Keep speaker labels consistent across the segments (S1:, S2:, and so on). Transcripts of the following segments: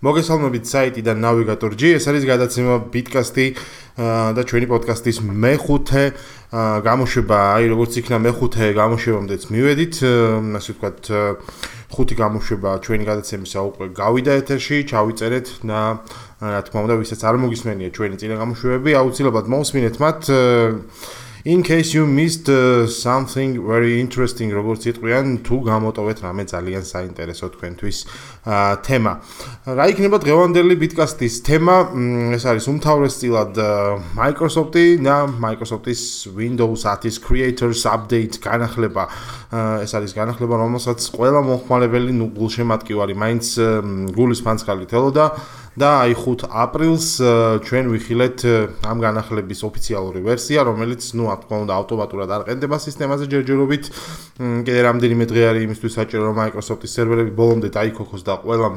S1: მოგესალმებით საიტიდან Navigator.g, ეს არის გადაცემა ბიტკასტი და ჩვენი პოდკასტის მეხუთე გამოშვება, როგორც იქნა მეხუთე გამოშვებამდეც მივედით, ასე ვთქვათ, ხუთი გამოშვება ჩვენი გადაცემისა უკვე გავიდა ეთერში, ჩავიწერეთ და რა თქმა უნდა, ვისაც არ მოგისმენია ჩვენი წინა გამოშვებები, აუცილებლად მოусმინეთ მათ. In case you missed something very interesting, როგორც იტყვიან, თუ გამოტოვეთ რამე ძალიან საინტერესო თქვენთვის თემა. რა იქნება დღევანდელი ბიტკასტის თემა? ეს არის უმთავრესწილად Microsoft-ი და Microsoft-ის Windows 10-ის Creators Update განახლება. ეს არის განახლება, რომელსაც ყველა მომხმარებელი გულშემატკივარი მაინც გულის ფანცხალით ელოდა. და აი 5 აპრილს ჩვენ ვიხილეთ ამ განახლების ოფიციალური ვერსია, რომელიც რა თქმა უნდა ავტომატურად არ ყენდება სისტემაზე ჯერჯერობით. კიდე რამდენიმე დღე არის იმისთვის საჭირო, რომ Microsoft-ის სერვერები ბოლომდე დაიქოქოს და ყველა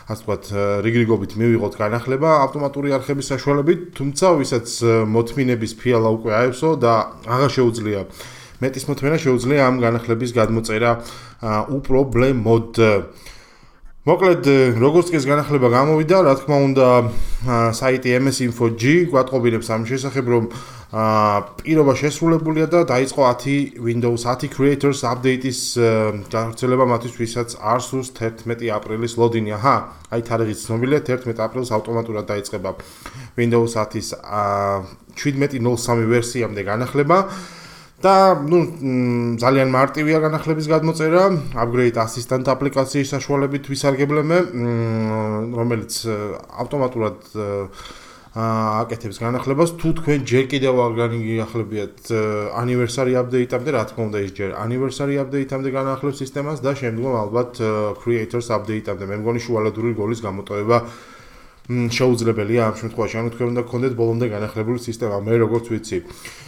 S1: ასე ვთქვათ რიგრიგობით მივიღოთ განახლება ავტომატური არხების საშუალებით, თუმცა ვისაც მოთმინების ფიალა უკვე აევსო და აღარ შეუძლია მეტის მოთმენა, შეუძლია ამ განახლების გადმოწერა უპრობლემოდ. მოკლედ, როგორც კი ეს განახლება გამოვიდა, რა თქმა უნდა, საიტი MS-Info.g გვატყობინებს ამ შესახებ, რომ პირობა შესრულებულია და დაიწყო 10 Windows 10 Creators Update-ის გავრცელება მათთვის, ვისაც არ სურს 11 აპრილის ლოდინი. აი თარიღიც ცნობილია, 11 აპრილს ავტომატურად დაიწყება Windows 10-ის 17.03 ვერსიამდე განახლება. და ძალიან მარტივია განახლების გადმოწერა, Upgrade Assistant აპლიკაციის საშუალებით ვისარგებლებთ, რომელიც ავტომატურად აკეთებს განახლებას. თუ თქვენ ჯერ კიდევ არ განიხლებიათ Anniversary Update-ამდე, რა თქმა უნდა, ის ჯერ Anniversary Update-ამდე განახლებს სისტემას და შემდგომ ალბათ Creators Update-ამდე. მე მგონი შუალედური როლის გამოტოვება შეუძლებელია ამ შემთხვევაში, ანუ თქვენ უნდა გქონდეთ ბოლომდე განახლებული სისტემა, მე როგორც ვიცი.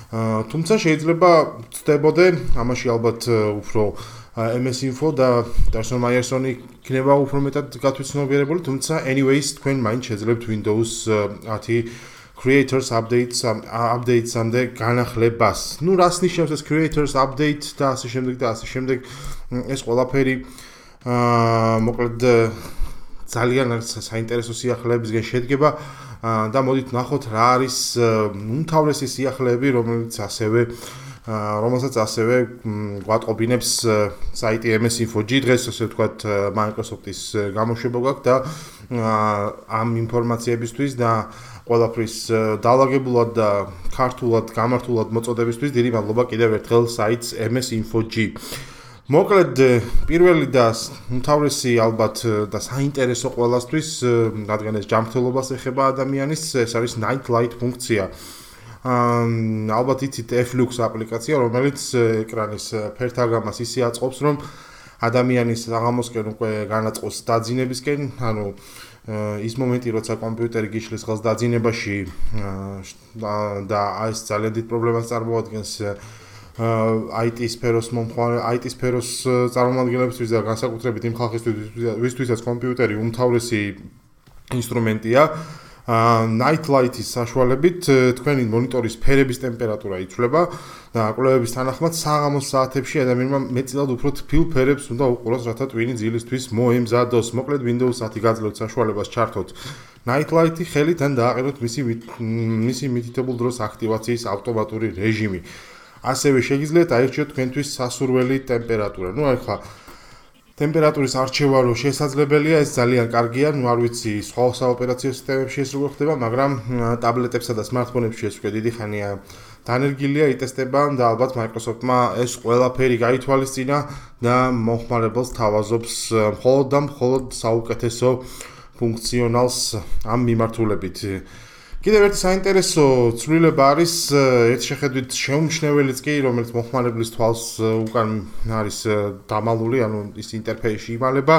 S1: თუმცა შეიძლება ვწდებოდე, ამაში ალბათ უფრო MS-Info და Darson Meyerson-ი იქნება უფრო მეტად გათვითცნობიერებული, თუმცა anyways თქვენ მაინც შეძლებთ Windows 10 Creators Updates-ამდე განახლებას. რას ნიშნავს ეს Creators Update და ასე შემდეგ და ასე შემდეგ. ეს ყველაფერი მოკლედ ძალიან საინტერესო სიახლეებისგან შედგება და მოდით ნახოთ რა არის უმთავრესი სიახლეები, რომელსაც ასევე გვატყობინებს საიტი MS-Info.g. დღეს ასე ვთქვათ Microsoft-ის გამოშვება გვაქვს და ამ ინფორმაციებისთვის და ყველაფრის დაალაგებულად და ქართულად, გამართულად მოწოდებისთვის დიდი მადლობა კიდევ ერთხელ საიტს MS-Info.g. მოკლედ, პირველი და უმთავრესი ალბათ და საინტერესო ყველასთვის, რადგან ეს ჯანმრთელობას ეხება ადამიანის, ეს არის Night Light ფუნქცია. ალბათ იცით Flux აპლიკაცია, რომელიც ეკრანის ფერთაგამას ისე აწყობს, რომ ადამიანის საღამოსკენ უკვე განაწყოს დაძინებისკენ, ანუ ის მომენტი, როცა კომპიუტერი გიშლის ხელს დაძინებაში და ეს ძალიან დიდ პრობლემას წარმოადგენს IT სფეროს წარმომადგენლებისთვის და განსაკუთრებით იმ ხალხისთვის, ვისთვისაც კომპიუტერი უმთავრესი ინსტრუმენტია. Night Light-ის საშუალებით თქვენი მონიტორის ფერების ტემპერატურა იცვლება და კვლევების თანახმად საღამოს საათებში ადამიანმა მეტწილად უფრო თბილ ფერებს უნდა უყუროს, რათა ტვინი ძილისთვის მოემზადოს. მოკლედ Windows 10 გაძლევთ საშუალებას ჩართოთ Night Light-ი ხელით ან დააყენოთ მისი მითითებულ დროს აქტივაციის ავტომატური რეჟიმი. ასევე შეგიძლიათ აირჩიოთ თქვენთვის სასურველი ტემპერატურა. ახლა ტემპერატურის არჩევა რო შესაძლებელია, ეს ძალიან კარგია. არ ვიცი სხვა საოპერაციო სისტემებში ეს როგორ ხდება, მაგრამ ტაბლეტებსა და smartphone-ებში ეს უკვე დიდი ხანია დანერგილია, იტესტება და ალბათ Microsoft-მა ეს ყველაფერი გაითვალისწინა და მომხმარებელს თავაზობს მხოლოდ საუკეთესო ფუნქციონალს ამ მიმართულებით. კიდევ ერთი საინტერესო ცვლილება არის ერთ შეხედვით შეუმჩნეველიც კი, რომელიც მომხმარებლის თვალს უკან არის დამალული, ანუ ის ინტერფეისში იმალება.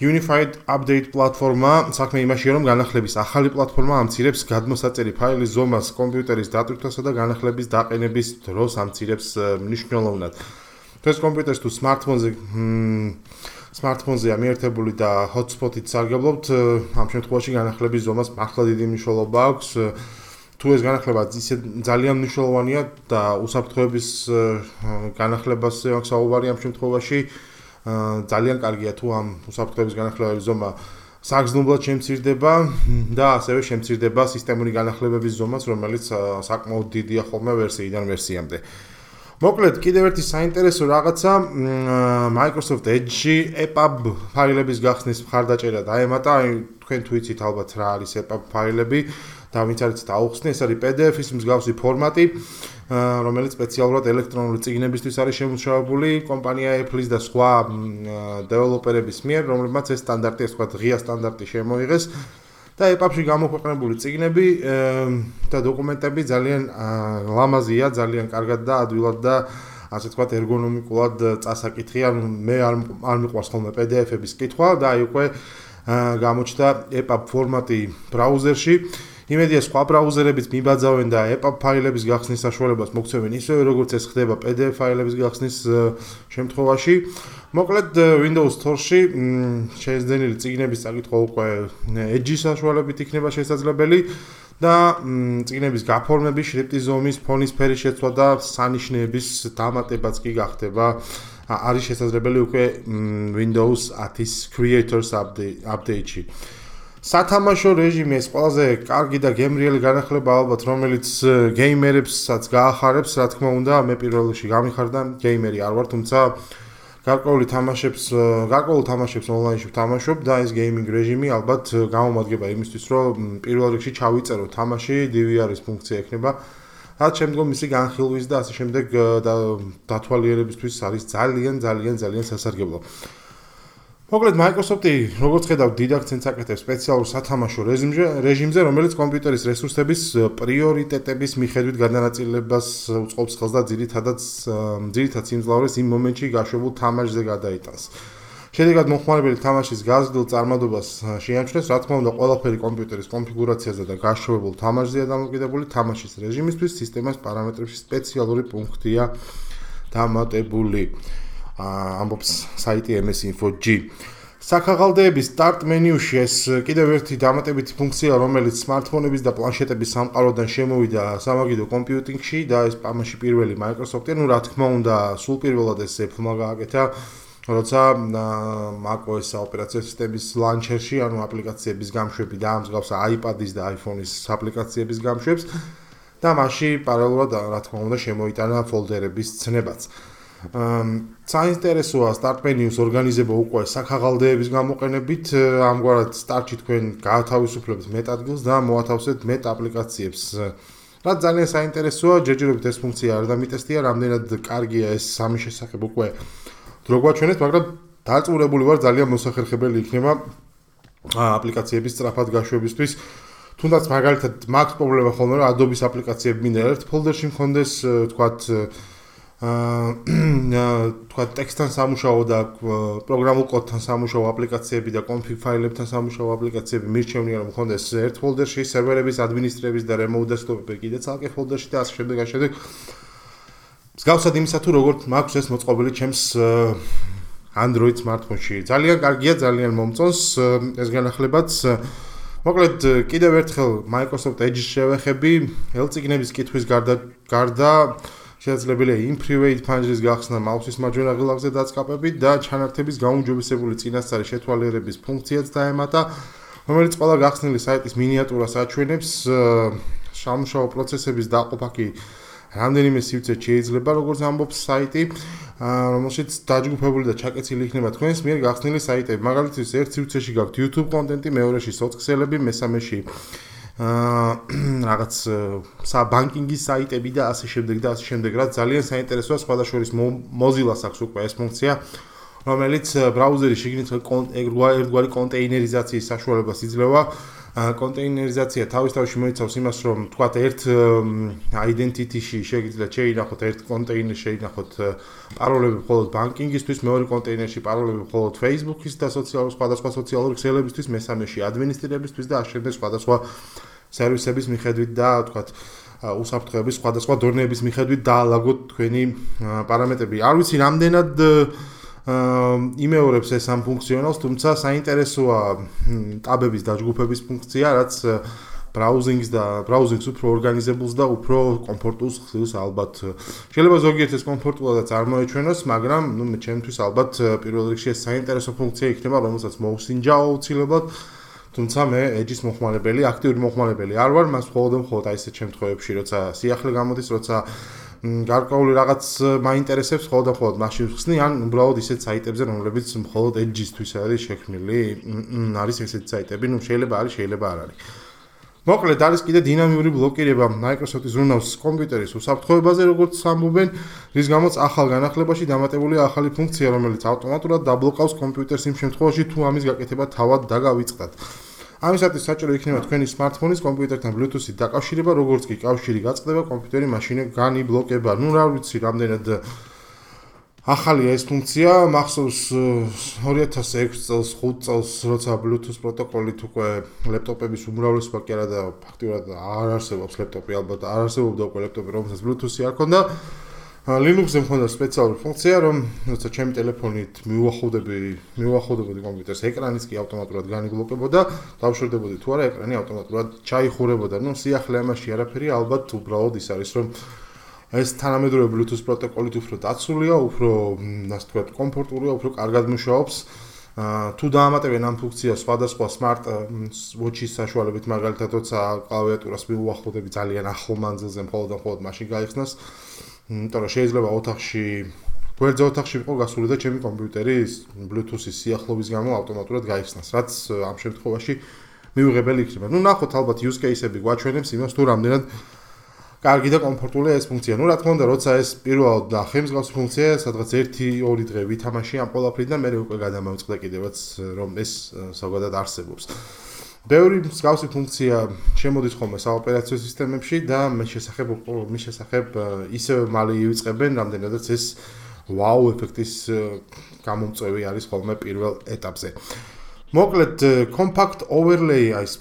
S1: Unified Update პლატფორმა საქმე იმაშია, რომ განახლების ახალი პლატფორმა ამცირებს გადმოსაწერი ფაილის ზომას კომპიუტერის დატვირთვასა და განახლების დაყენების დროს ამცირებს მნიშვნელოვნად. ეს კომპიუტერს თუ smartphone-ზე ამიერთებული და hotspot-ით სარგებლობთ, ამ შემთხვევაში განახლების ზომას მართლა დიდი მნიშვნელობა აქვს. თუ ეს განახლება ძალიან მნიშვნელოვანია და უსაფრთხოების განახლებაზე აქვს საუბარი ამ შემთხვევაში, ძალიან კარგია თუ ამ უსაფრთხოების განახლებების ზომა საგრძნობლად შემცირდება და ასევე შემცირდება სისტემური განახლებების ზომაც, რომელიც საკმაოდ დიდია ხოლმე ვერსიიდან ვერსიამდე. მოკლედ, კიდევ ერთი საინტერესო რაღაცა Microsoft Edge-ში EPUB ფაილების გახსნის მხარდაჭერა დაემატა. თქვენ თუ იცით ალბათ რა არის EPUB ფაილები და ვინც არის დაუხსნი, ეს არის PDF-ის მსგავსი ფორმატი, რომელიც სპეციალურად ელექტრონული წიგნებისთვის არის შემუშავებული კომპანია Apple-ის და სხვა დეველოპერების მიერ, რომლებმაც ეს სტანდარტი, ასე ვთქვათ, ღია სტანდარტი შემოიღეს და EPUB-ში გამოქვეყნებული წიგნები და დოკუმენტები ძალიან ლამაზია, ძალიან კარგად და ადვილად და ასე ვთქვათ, ერგონომიკულად წასაკითხია. მე არ მიყვარს ხოლმე PDF-ების კითხვა და აი უკვე გამოჩნდა EPUB ფორმატი ბრაუზერში. იმედია სხვა ბრაუზერებიც მიბაძავენ და EPUB ფაილების გახსნის საშუალებას მოგცემენ ისევე როგორც ეს ხდება PDF ფაილების გახსნის შემთხვევაში. მოკლედ Windows Store-ში შეძენილი წიგნების წაკითხვა უკვე Edge-ის საშუალებით იქნება შესაძლებელი და წიგნების გაფორმების, შრიფტის ზომის, ფონის ფერის შეცვლა და სანიშნეების დამატებაც კი გახდება. არის შესაძლებელი უკვე Windows 10-ის Creators Update-ში. სათამაშო რეჟიმი ეს ყველაზე კარგი და გემრიელი განახლება ალბათ, რომელიც გეიმერებსაც გაახარებს, რა თქმა უნდა, მე პირველ რიგში გამიხარდა, გეიმერი არ ვარ, თუმცა გარკვეულ თამაშებს ონლაინში ვთამაშობ და ეს გეიმინგ რეჟიმი ალბათ გამომადგება იმისთვის, რომ პირველ რიგში ჩავიწერო თამაში, DVR-ის ფუნქცია ექნება, რაც შემდგომ მისი განხილვის და ასე შემდეგ დათვალიერებისთვის არის ძალიან სასარგებლო. მოკლედ Microsoft-ი როგორც ხედავთ დიდ აქცენტს აკეთებს სპეციალურ სათამაშო რეჟიმზე, რომელიც კომპიუტერის რესურსების პრიორიტეტების მიხედვით გადანაწილებას უწყობს ხელს და ძირითად სიმძლავრეს იმ მომენტში გაშვებულ თამაშზე გადაიტანს. შედეგად მოხმარებელი თამაშის გაზრდილ წარმადობას შეამჩნევს, რა თქმა უნდა, ყველაფერი კომპიუტერის კონფიგურაციაზე და გაშვებულ თამაშზეა დამოკიდებული. თამაშის რეჟიმისთვის სისტემას პარამეტრებში სპეციალური პუნქტია დამატებული. ამბობს საიტი MS-Info-G. საქაღალდეების სტარტ მენიუში ეს კიდევ ერთი დამატებითი ფუნქცია, რომელიც სმარტფონების და პლანშეტების სამყაროდან შემოვიდა სამაგიდო კომპიუტინგში და ეს ამაში პირველი Microsoft-ი, რა თქმა უნდა, სულ პირველად ეს Apple-მა გააკეთა, როცა macOS ოპერაციული სისტემის ლანჩერში, ანუ აპლიკაციების გამშვები და ამსგავსა iPad-ის და iPhone-ის აპლიკაციების გამშვებს და მასში პარალელურად, რა თქმა უნდა, შემოიტანა ფოლდერების ცნებაც. საინტერესოა სტარტ მენიუს ორგანიზება უკვე საქაღალდეების გამოყენებით, ამგვარად სტარტში თქვენ გაათავისუფლებთ მეტ ადგილს და მოათავსებთ მეტ აპლიკაციებს. რაც ძალიან საინტერესოა, ჯერჯერობით ეს ფუნქცია არ დამიტესტია, რამდენად კარგია ეს სამის შესახებ უკვე დრო გვაჩვენეთ, მაგრამ დაწურებული ვარ, ძალიან მოსახერხებელი იქნება აპლიკაციების სწრაფად გაშვებისთვის. თუნდაც მაგალითად მაქვს პრობლემა ხოლმე, რომ Adobe-ის აპლიკაციები მინდა ერთ ფოლდერში მქონდეს, თქვათ ტექსტთან სამუშაო და პროგრამულ კოდთან სამუშაო აპლიკაციები და კონფიგ ფაილებთან სამუშაო აპლიკაციები მირჩევნია რომ მქონდეს ერთ ფოლდერში, სერვერების ადმინისტრების და remote desktop-ები კიდე ცალკე ფოლდერში და ასე შემდეგ. მსგავსად იმისა თუ როგორ მაქვს ეს მოწყობილი ჩემს Android smartphone-ში. ძალიან კარგია, ძალიან მომწონს ეს განახლებაც. მოკლედ კიდევ ერთხელ Microsoft Edge-ს შევეხები, ელწიგნების კითხვის გარდა შესაძლებელია იმ private ფანჯრის გახსნა მაუსის მარჯვენა ღილაკზე დაწყაპებით და ჩანართების გაუმჯობესებული წინასწარი შეთვალიერების ფუნქციაც დაემატა, რომელიც ყველა გახსნილი საიტის მინიატურას აჩვენებს. სამუშაო პროცესების დაყოფა კი რამდენიმე სივრცეში შეიძლება, როგორც ამბობს საიტი, რომელშიც დაჯგუფებული და ჩაკეცილი იქნება თქვენს მიერ გახსნილი საიტები. მაგალითად, ერთ სივრცეში გაქვთ YouTube კონტენტი, მეორეში სოციქსელები, მესამეში რაღაც ბანკინგის საიტები და ასე შემდეგ, რაც ძალიან საინტერესოა. სხვადასხვა Mozilla-ს აქვს უკვე ეს ფუნქცია, რომელიც ბრაუზერის შიგნით ერთგვარი კონტეინერიზაციის საშუალებას იძლევა. კონტეინერიზაცია თავის თავში მოიცავს იმას, რომ თქვათ ერთ identity-ში შეგიძლიათ შეინახოთ ერთ კონტეინერში შეინახოთ პაროლები მხოლოდ ბანკინგისთვის, მეორე კონტეინერში პაროლები მხოლოდ Facebook-ის და სხვადასხვა სოციალური ქსელებისთვის, მესამეში ადმინისტრირებისთვის და ასე შემდეგ სხვადასხვა სერვისების მიხედვით და თქვათ უსაფრთხოების სხვადასხვა დონეების მიხედვით დაალაგოთ თქვენი პარამეტრები. არ ვიცი რამდენად იმეორებს ეს ამ ფუნქციონალს, თუმცა საინტერესოა ტაბების დაჯგუფების ფუნქცია, რაც ბრაუზინგს და ბრაუზინგს უფრო ორგანიზებულს და უფრო კომფორტულს ხსნის ალბათ. შეიძლება ზოგიერთ ეს კომფორტულად წარმოეჩვენოს, მაგრამ ჩემთვის ალბათ პირველ რიგში ეს საინტერესო ფუნქცია იქნება, რომელსაც მოვსინჯაო აუცილებლად. თუმცა მე edge-ის მოხმარებელი, აქტიური მოხმარებელი არ ვარ, მას მხოლოდ აი ესეთ შემთხვევებში, როცა სიახლე გამოდის, როცა გარკვეული რაღაც მაინტერესებს მხოლოდ მაშინ ვხსნი, ან უბრალოდ ისეთ საიტებზე, რომლებიც მხოლოდ edge-ისთვის არის შექმნილი, არის ესეთი საიტები, შეიძლება არის, შეიძლება არ არის. მოკლედ არის კიდე დინამიური ბლოკირება Microsoft-ის Windows კომპიუტერის უსაფრთხოებაზე, როგორც ამბობენ, რის გამოც ახალ განახლებაში დამატებულია ახალი ფუნქცია, რომელიც ავტომატურად დაბლოკავს კომპიუტერს იმ შემთხვევაში, თუ ამის გაკეთება თავად დაგავიწყდათ. ამისათვის საჭირო იქნება თქვენი smartphone-ის კომპიუტერთან Bluetooth-ით დაკავშირება, როგორც კი კავშირი გაწყდება, კომპიუტერი მაშინე განიბლოკება. რა ვიცი, რამდენად ახალია ეს ფუნქცია, მახსოვს 2006 წელს, 5 წელს, როცა Bluetooth პროტოკოლით უკვე ლეპტოპების უმრავლესობა კი არა და ფაქტიურად არ არსებობს ლეპტოპი, ალბათ არ არსებობდა უკვე ლეპტოპი, რომელსაც Bluetooth-ი არ ჰქონდა. Linux-ზე მქონდა სპეციალური ფუნქცია, რომ როცა ჩემი ტელეფონით მივუახლოვდებოდი კომპიუტერს, ეკრანიც კი ავტომატურად განიბლოკებოდა, დავშვერდებოდი თუ არა, ეკრანი ავტომატურად ჩაიხურებოდა. სიახლე ამაში არაფერი, ალბათ უბრალოდ ის არის, რომ ეს თანამედროვე Bluetooth პროტოკოლით უფრო დაცულია, უფრო, ასე ვთქვათ, კომფორტულია, უფრო კარგად მუშაობს. თუ დაამატებენ ამ ფუნქციას სხვადასხვა smart watch-ის საშუალებით, მაგალითად, როცა კლავიატურას მივუახლოვდები ძალიან ახლო მანძილზე, მხოლოდ მაშინ გაიხსნას. იმიტომ რომ შეიძლება ოთახში, გვერდზე ოთახში ვიყო გასული და ჩემი კომპიუტერი Bluetooth-ის სიახლოვის გამო ავტომატურად გაიხსნას, რაც ამ შემთხვევაში მივიღებელი იქნება. ნახოთ ალბათ use case-ები გვაჩვენებს იმას, თუ რამდენად კარგი და კომფორტულია ეს ფუნქცია. რა თქმა უნდა, როცა ეს პირველად და ხელმისგავსი ფუნქცია, სადღაც 1-2 დღე ვითამაში ამ ყველაფრიდან, მე უკვე გადამოვწყდა კიდევაც, რომ ეს ზოგადად არსებობს. ბევრი მსგავსი ფუნქცია შემოდის ხოლმე საოპერაციო სისტემებში და მის შესახებ ისევ მალე ივიწყებენ, რამდენადაც ეს wow ეფექტის გამომწვევი არის ხოლმე პირველ ეტაპზე. მოკლედ compact overlay არის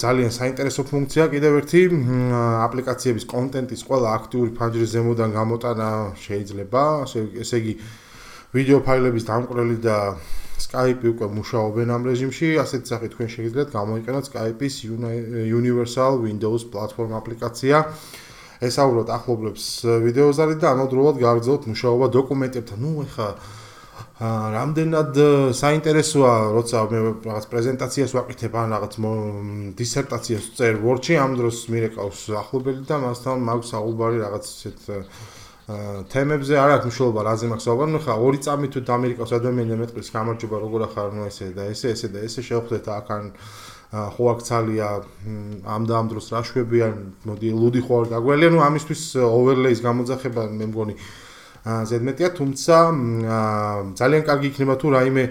S1: ძალიან საინტერესო ფუნქცია, კიდევ ერთი აპლიკაციების კონტენტის ყველა აქტიური ფანჯრის ზემოდან გამოტანა შეიძლება, ესე იგი ვიდეო ფაილების დამკვრელი და Skype-ი უკვე მუშაობენ ამ რეჟიმში, ასეთ სახით თქვენ შეგიძლიათ გამოიყენოთ Skype-ის Universal Windows Platform აპლიკაცია. ესაუბროთ ახლობლებს ვიდეოზარით და ამავდროულად გააგრძელოთ მუშაობა დოკუმენტებთან. ეხა რამდენად საინტერესოა, როცა მე რაღაც პრეზენტაციას ვაკეთებ ან რაღაც დისერტაციას ვწერ Word-ში, ამ დროს მირეკავს ახლობელი და მასთან მაქვს საუბარი რაღაც ისეთ თემებზე, არ აქვს მნიშვნელობა რაზე მაქვს საუბარი. ხა 2 წამით თუ დამირეკავს ადამიანი და მეტყვის გამარჯობა, როგორ ახარ ესე და ესე შევხვდეთ აქან ხო აქ ცალია ამ და ამ დროს რა შვებიან, მოდი ლუდი ხო არ გაგველია, ამისთვის overlay-ის გამოძახება მე მგონი ზედმეტია, თუმცა ძალიან კარგი იქნება თუ რაიმე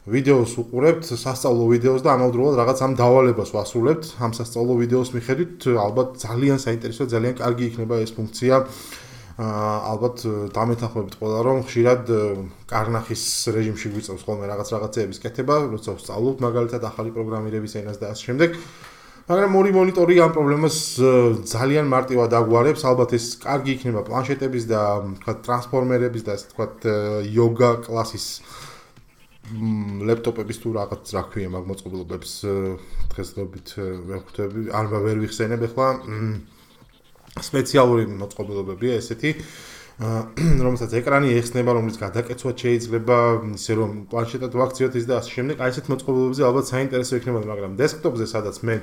S1: ვიდეოს უყურებთ, სასწავლო ვიდეოს და ამავდროულად რაღაც ამ დავალებას ვასრულებთ, ამ სასწავლო ვიდეოს მიხედვით, ალბათ ძალიან საინტერესო, ძალიან კარგი იქნება ეს ფუნქცია. ალბათ დამეთანხმებით ყველა, რომ ხშირად კარნახის რეჟიმში გვიწევს ხოლმე რაღაცეების კეთება, როცა ვსწავლობთ მაგალითად ახალი პროგრამირების ენას და ასე შემდეგ. მაგრამ ორი მონიტორი ამ პრობლემას ძალიან მარტივად აგვარებს, ალბათ ეს კარგი იქნება პლანშეტების და თქვათ ტრანსფორმერების და ასე თქვათ იოგა კლასის ლეპტოპების თუ რაღაც რა ქვია მაგ მოწყობილობებს დღესდღეობით ვერ ხვდები, არ ვერ ვიხსენებ ახლა სპეციალური მოწყობილობებია ესეთი, რომელსაც ეკრანი ეხსნება, რომლის გადაკეცვაც შეიძლება, ისე რომ პლანშეტად ვაქციოთ ის და ასე შემდეგ. აი ესეთ მოწყობილობებზე ალბათ საინტერესო იქნებოდა, მაგრამ დესკტოპზე სადაც მე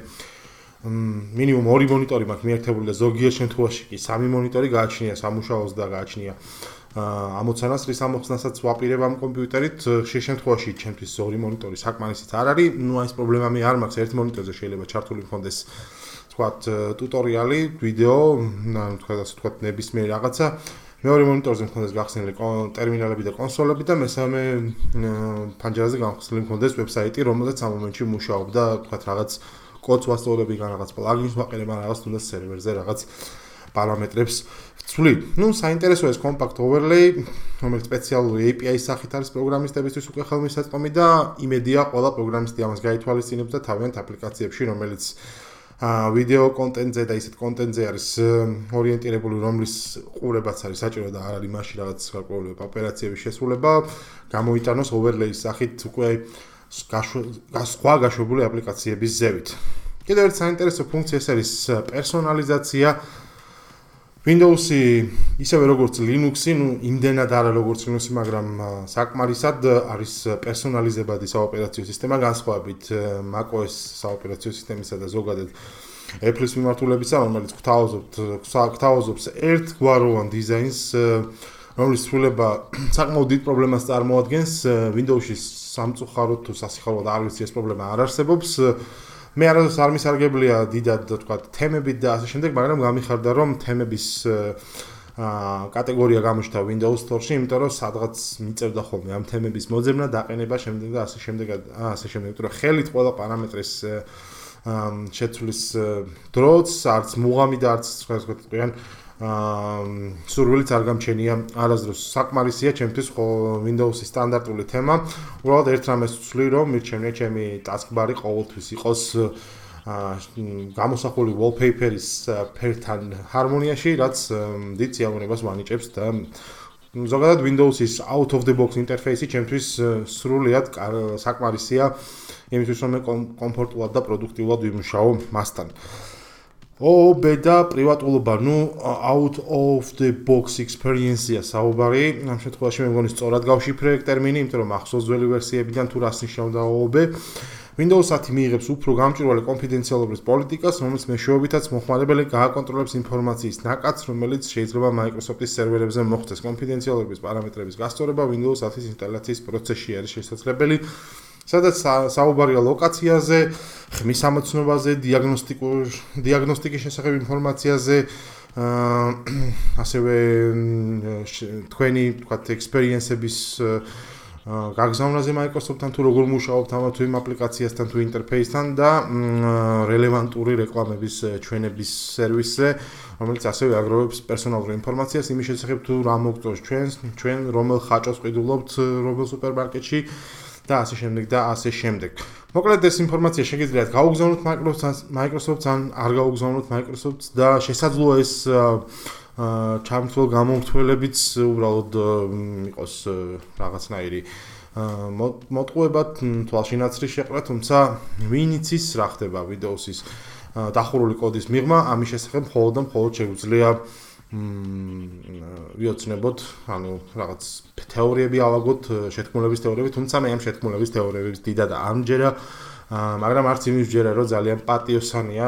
S1: მინიმუმ 2 მონიტორი მაქვს მიერთებული და ზოგიერთ შემთხვევაში კი 3 მონიტორი გააჩნია სამუშაოს და გააჩნია ამოცანას რის ამოხსნასაც ვაპირებ ამ კომპიუტერით. ხშირ შემთხვევაში ჩემთვის 2 მონიტორი საკმარისით არ არის. აი ეს პრობლემა მე არ მაქვს, ერთ მონიტორზე შეიძლება ჩართული მქონდეს თქვათ ტუტორიალი, ვიდეო, თქვათ ასე თქვათ ნებისმიერ რაღაცა. მეორე მონიტორზე მქონდეს გახსნილი ტერმინალები და კონსოლები და მესამე ფანჯარაზე გამხსნილი მქონდეს ვებსაიტი, რომელზეც ამ მომენტში მუშაობდა, თქვათ რაღაც კოდს ვასწავლები, რაღაც პლაგინს ვაყენებ, რაღაც თუნდაც სერვერზე რაღაც პარამეტრებს ვცვლი. საინტერესოა ეს compact overlay, რომელიც სპეციალური API-ის სახით არის პროგრამისტებისთვის უკვე ხელმისაწვდომი და იმედია ყველა პროგრამისტი ამას გაითვალისწინებს და თავიანთ აპლიკაციებში, რომელიც ვიდეო კონტენტზე და ისეთ კონტენტზე არის ორიენტირებული, რომლის ყურებაც არის საჭირო და არ არის მასში რაღაც გარკვეული ოპერაციების შესრულება, გამოიტანოს overlay-ის სახით უკვე სხვა გაშვებული აპლიკაციების ზევით. კიდევ ერთი საინტერესო ფუნქცია ეს არის პერსონალიზაცია. Windows-ი ისევე როგორც Linux-ი, იმდენად არა როგორც Linux-ი, მაგრამ საკმარისად არის პერსონალიზებადი საოპერაციო სისტემა განსხვავებით macOS საოპერაციო სისტემისა და ზოგადად Apple-ის მიმართულებისა, რომელიც გვთავაზობს ერთგვაროვან დიზაინს, რომლის ცვლილება საკმაოდ დიდ პრობლემას წარმოადგენს. Windows-ში სამწუხაროდ თუ სასიხარულოდ არ ვიცი ეს პრობლემა არ არსებობს. მე არასდროს არ მისარგებლია დიდად თქვა თემებით და ასე შემდეგ, მაგრამ გამიხარდა რომ თემების კატეგორია გამოჩნდა Windows Store-ში, იმიტომ რომ სადღაც მიწევდა ხოლმე ამ თემების მოძებნა, დაყენება, შემდეგ და ასე შემდეგ, იმიტომ რომ ხელით ყველა პარამეტრის შეცვლის დროც, არც მუღამი და არც სხვა თქვენ სურვილიც არ გამჩენია არასდროს. საკმარისია ჩემთვის Windows-ის სტანდარტული თემა. უბრალოდ ერთ რამეს ვცვლი, რომ მირჩენია ჩემი taskbar-ი ყოველთვის იყოს გამოსახული wallpaper-ის ფერთან ჰარმონიაში, რაც დიდ სიამოვნებას ვანიჭებს და ზოგადად Windows-ის out of the box ინტერფეისი ჩემთვის სრულიად საკმარისია იმისთვის, რომ მე კომფორტულად და პროდუქტიულად ვიმუშაო მასთან. და პრივატულობა, out of the box experience-ია საუბარი. ამ შემთხვევაში მე მგონი სწორად გავშიფრე ტერმინი, იმიტომ რომ ახსოვს ძველი ვერსიებიდან თუ რას ნიშნავდა OOB. Windows 10 მიიღებს უფრო გამჭვირვალე კონფიდენციალობის პოლიტიკას, რომელიც მეშვეობითაც მოხმარებელი გააკონტროლებს ინფორმაციის ნაკადს, რომელიც შეიძლება Microsoft-ის სერვერებზე მოხდეს. კონფიდენციალობის პარამეტრების გასწორება Windows 10-ის ინსტალაციის პროცესში არის შესაძლებელი. სადაც საუბარია ლოკაციაზე, ხმის ამოცნობაზე, დიაგნოსტიკის შესახებ ინფორმაციაზე, ასევე თქვენი თქვათ ექსპერიენსების გაგზავნაზე Microsoft-თან თუ როგორ მუშაობთ ამა თუ იმ აპლიკაციასთან თუ ინტერფეისთან და რელევანტური რეკლამების ჩვენების სერვისზე, რომელიც ასევე აგროვებს პერსონალურ ინფორმაციას იმის შესახებ თუ რა მოგწონს ჩვენ რომელ ხაჭოს ყიდულობთ რომელ სუპერმარკეტში და ასე შემდეგ და ასე შემდეგ. მოკლედ ეს ინფორმაცია შეგიძლიათ გაუგზავნოთ Microsoft-ს ან არ გაუგზავნოთ Microsoft-ს და შესაძლოა ეს ჩამთვლელ გამომთველებიც უბრალოდ იყოს რაღაცნაირი მოტყუებად თვალშინაცრის შეყრა, თუმცა ვინ იცის რა ხდება Windows-ის დახურული კოდის მიღმა, ამის შესახებ მხოლოდ შეგვიძლია ვიოცნებოთ, ანუ რაღაც თეორიები ავაგოთ, შეთქმულების თეორიები, თუმცა მე ამ შეთქმულების თეორიების დიდად არ მჯერა, მაგრამ არც იმის მჯერა, რომ ძალიან პატიოსანია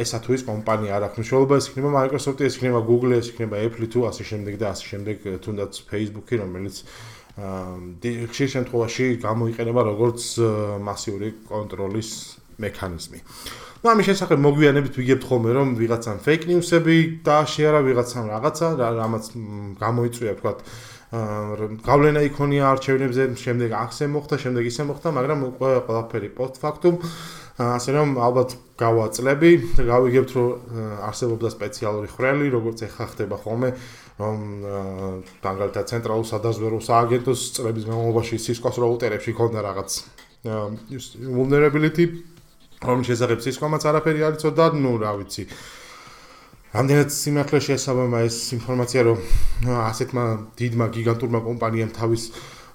S1: ესა თუ ის კომპანია არ აქვს მნიშვნელობა, ეს იქნება Microsoft-ი, ეს იქნება Google-ი, ეს იქნება Apple-ი თუ ასე შემდეგ და ასე შემდეგ, თუნდაც Facebook-ი, რომელიც ხშირ შემთხვევაში გამოიყენება როგორც მასიური კონტროლის მექანიზმი. ამის შესახებ მოგვიანებით ვიგებთ ხოლმე, რომ ვიღაცამ fake news-ები დააშერა, ვიღაცამ რაღაცა, რამაც გამოიწვია, თქვათ, გავლენა იქონია არჩევნებზე, შემდეგ ახსე მოხდა, შემდეგ ისე მოხდა, მაგრამ ყველაფერი post factum. ასე რომ ალბათ გავაწლები და გავიგებთ, რომ არსებობდა სპეციალური ხვრელი, როგორც ეხა ხდება ხოლმე, რომ მაგალითად ცენტრალურ სადაზვერვო სააგენტოს წლების განმავლობაში Cisco-ს რაუტერებში ქონდა რაღაც vulnerability, რომ შესაძლებ Cisco-მაც არაფერი არ იცოდა, რა ვიცი. რამდენად სიმართლე შეესაბამა ეს ინფორმაცია, რომ ასეთმა დიდმა გიგანტურმა კომპანიამ თავის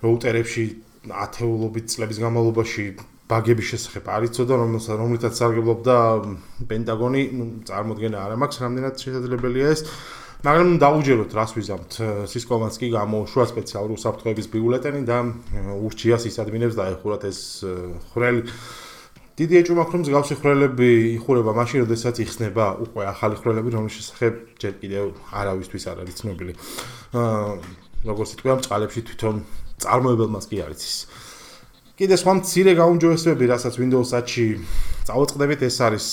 S1: რაუტერებში ათეულობით წლების განმავლობაში ბაგების შესახებ არ იცოდა, რომლითაც სარგებლობდა პენტაგონი, წარმოდგენა არ მაქვს, რამდენად შესაძლებელია ეს. მაგრამ დაუჯეროთ, რას ვიზამთ. Cisco-მაც კი გამოუშვა სპეციალური უსაფრთხოების ბიულეტენი და ურჩია სისადმინებს დაეხურათ ეს ხვრელი. დიდი ეჭვმა აქვს, რომ მსგავსი ხვრელები იხურება მაშინ, როდესაც იხსნება უკვე ახალი ხვრელები, რომლის შესახებ ჯერ კიდევ არავისთვის არ არის ცნობილი. როგორც იტყვია, წყალებში თვითონ წარმოებელმაც კი არ იცის. კიდე სხვა მცირე გაუმჯობესებები, რასაც Windows 10-ში წავაწყდებით, ეს არის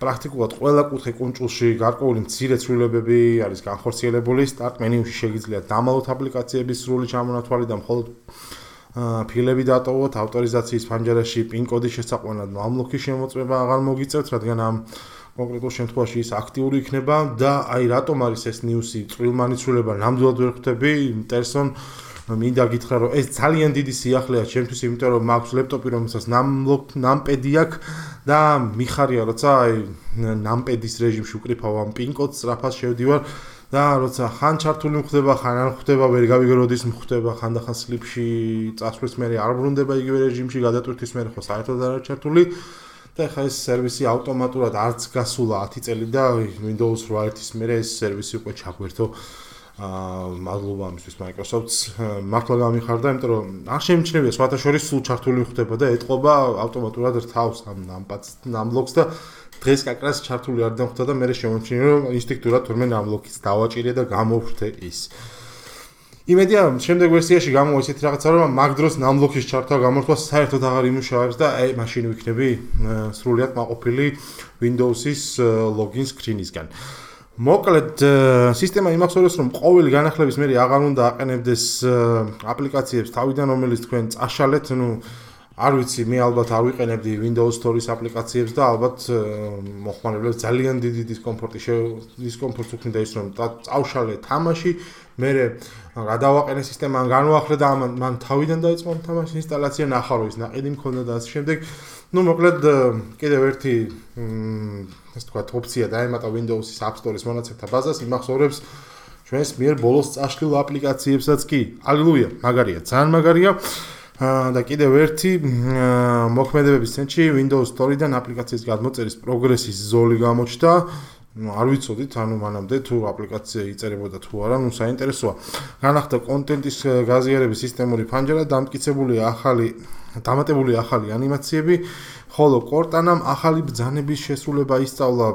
S1: პრაქტიკულად ყველა კუთხე კუნჭულში გარკვეული მცირე ცვლილებები არის განხორციელებული. Start menu-ში შეგიძლიათ დამალოთ აპლიკაციების სრული ჩამონათვალი და მხოლოდ ფილები დატოვოთ, ავტორიზაციის ფანჯარაში PIN კოდის შესაყვანად unlock-ის შემოწმება აღარ მოგიწევთ, რადგან ამ კონკრეტულ შემთხვევაში ის აქტიური იქნება და აი რატომ არის ეს news-ი წვრილმანიცვლება, ნამდვილად ვერ ხვდები, ინტერესონ მინდა გითხრა, რომ ეს ძალიან დიდი სიახლეა ჩემთვის, იმიტომ რომ მაქვს ლეპტოპი, რომელსაც numpad-ი აქვს და მიხარია, როცა აი numpad-ის რეჟიმში უკრიფავ ამ PIN კოდს, სწრაფად შევდივარ და როცა ხან ჩართული მხვდება, ხან არ მხვდება, ვერ გავიგე როდის მხვდება, ხანდახან სლიპში წასვლის მერე არ ბრუნდება იგივე რეჟიმში, გადატვირთვის მერე ხო საერთოდ არ არის ჩართული და ეხლა ეს სერვისი ავტომატურად არც გასულა 10 წელი და Windows 8-ის მერე ეს სერვისი უკვე ჩაგვერთო. მადლობა ამისთვის Microsoft-ს მართლა გამიხარდა, იმიტომ რომ არ შემჩნევია სხვათა შორის სულ ჩართული ხდება და ეტყობა ავტომატურად რთავს ამ ნამბლოკს და დღეს კაკრას ჩართული არ დამხვდა და მე შემოჩინე რომ ინსტინქტურად თურმე ნამბლოკის დავაჭირე და გამოვხდე ის. იმედია შემდეგ ვერსიაში გამოვა ისეთი რაღაცა რომ მაგ დროს ნამბლოკის ჩართვა გამორთვა საერთოდ აღარ იმუშავებს და მაშინ ვიქნები სრულიად მაყოფილი Windows-ის login screen-ისგან. მოკლედ სისტემა იმახსოვრებს რომ ყოველი განახლების მერე აღარ უნდა აყენებდეს აპლიკაციებს თავიდან რომელიც თქვენ წაშალეთ, არ ვიცი, მე ალბათ არ ვიყენებდი Windows Store-ის აპლიკაციებს და ალბათ მოხმარებლებს ძალიან დიდი დისკომფორტს უქმნიდა ის რომ წავშალე თამაში, მე გადავაყენე სისტემა, განვახრე და მან თავიდან დაიწყო თამაშის ინსტალაცია, ნახა რომ ის ნაყიდი მქონდა და ასე შემდეგ. მოკლედ კიდევ ერთი ასე ვთქვათ ოფცია დაემატა Windows-ის App Store-ის მონაცემთა ბაზას, იმახსოვრებს ჩვენს მიერ ბოლოს წაშლილ აპლიკაციებსაც კი. ალილუია, მაგარია, ძალიან მაგარია. და კიდევ ერთი მოქმედებების ცენტრში Windows Store-დან აპლიკაციის გადმოწერის პროგრესის ზოლი გამოჩნდა. არ ვიცოდით, მანამდე თუ აპლიკაცია იწერებოდა თუ არა, საინტერესოა. განახდა კონტენტის გაზიარების სისტემური ფანჯარა, დამატებული ახალი ანიმაციები, ხოლო Cortana-მ ახალი ბრძანების შესრულება ისწავლა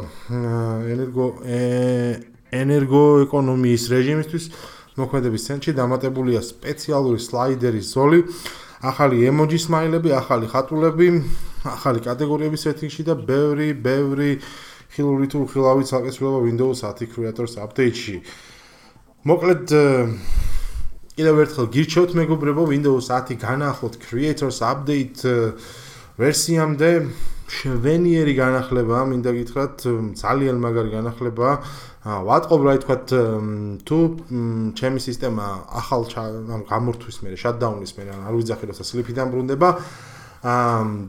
S1: ენერგოეკონომიის რეჟიმისთვის. მოქმედების ცენტრში დამატებულია სპეციალური სლაიდერის ზოლი, ახალი ემოჯი სმაილები, ახალი ხატულები, ახალი კატეგორიების სეტინგში და ბევრი ხილული თუ ხილავი ცალკეცვლილება Windows 10 Creators Update-ში. მოკლედ კიდევ ერთხელ გირჩევთ მეგობრებო, Windows 10 განახლოთ Creators Update ვერსიამდე, შვენიერი განახლება, მინდა გითხრათ, ძალიან მაგარი განახლება. ვატყობ რა თქვათ, თუ ჩემი სისტემა ახალ გამორთვის მერე, shutdown-ის მერე, არ ვიძახი როცა სლიფიდან ბრუნდება,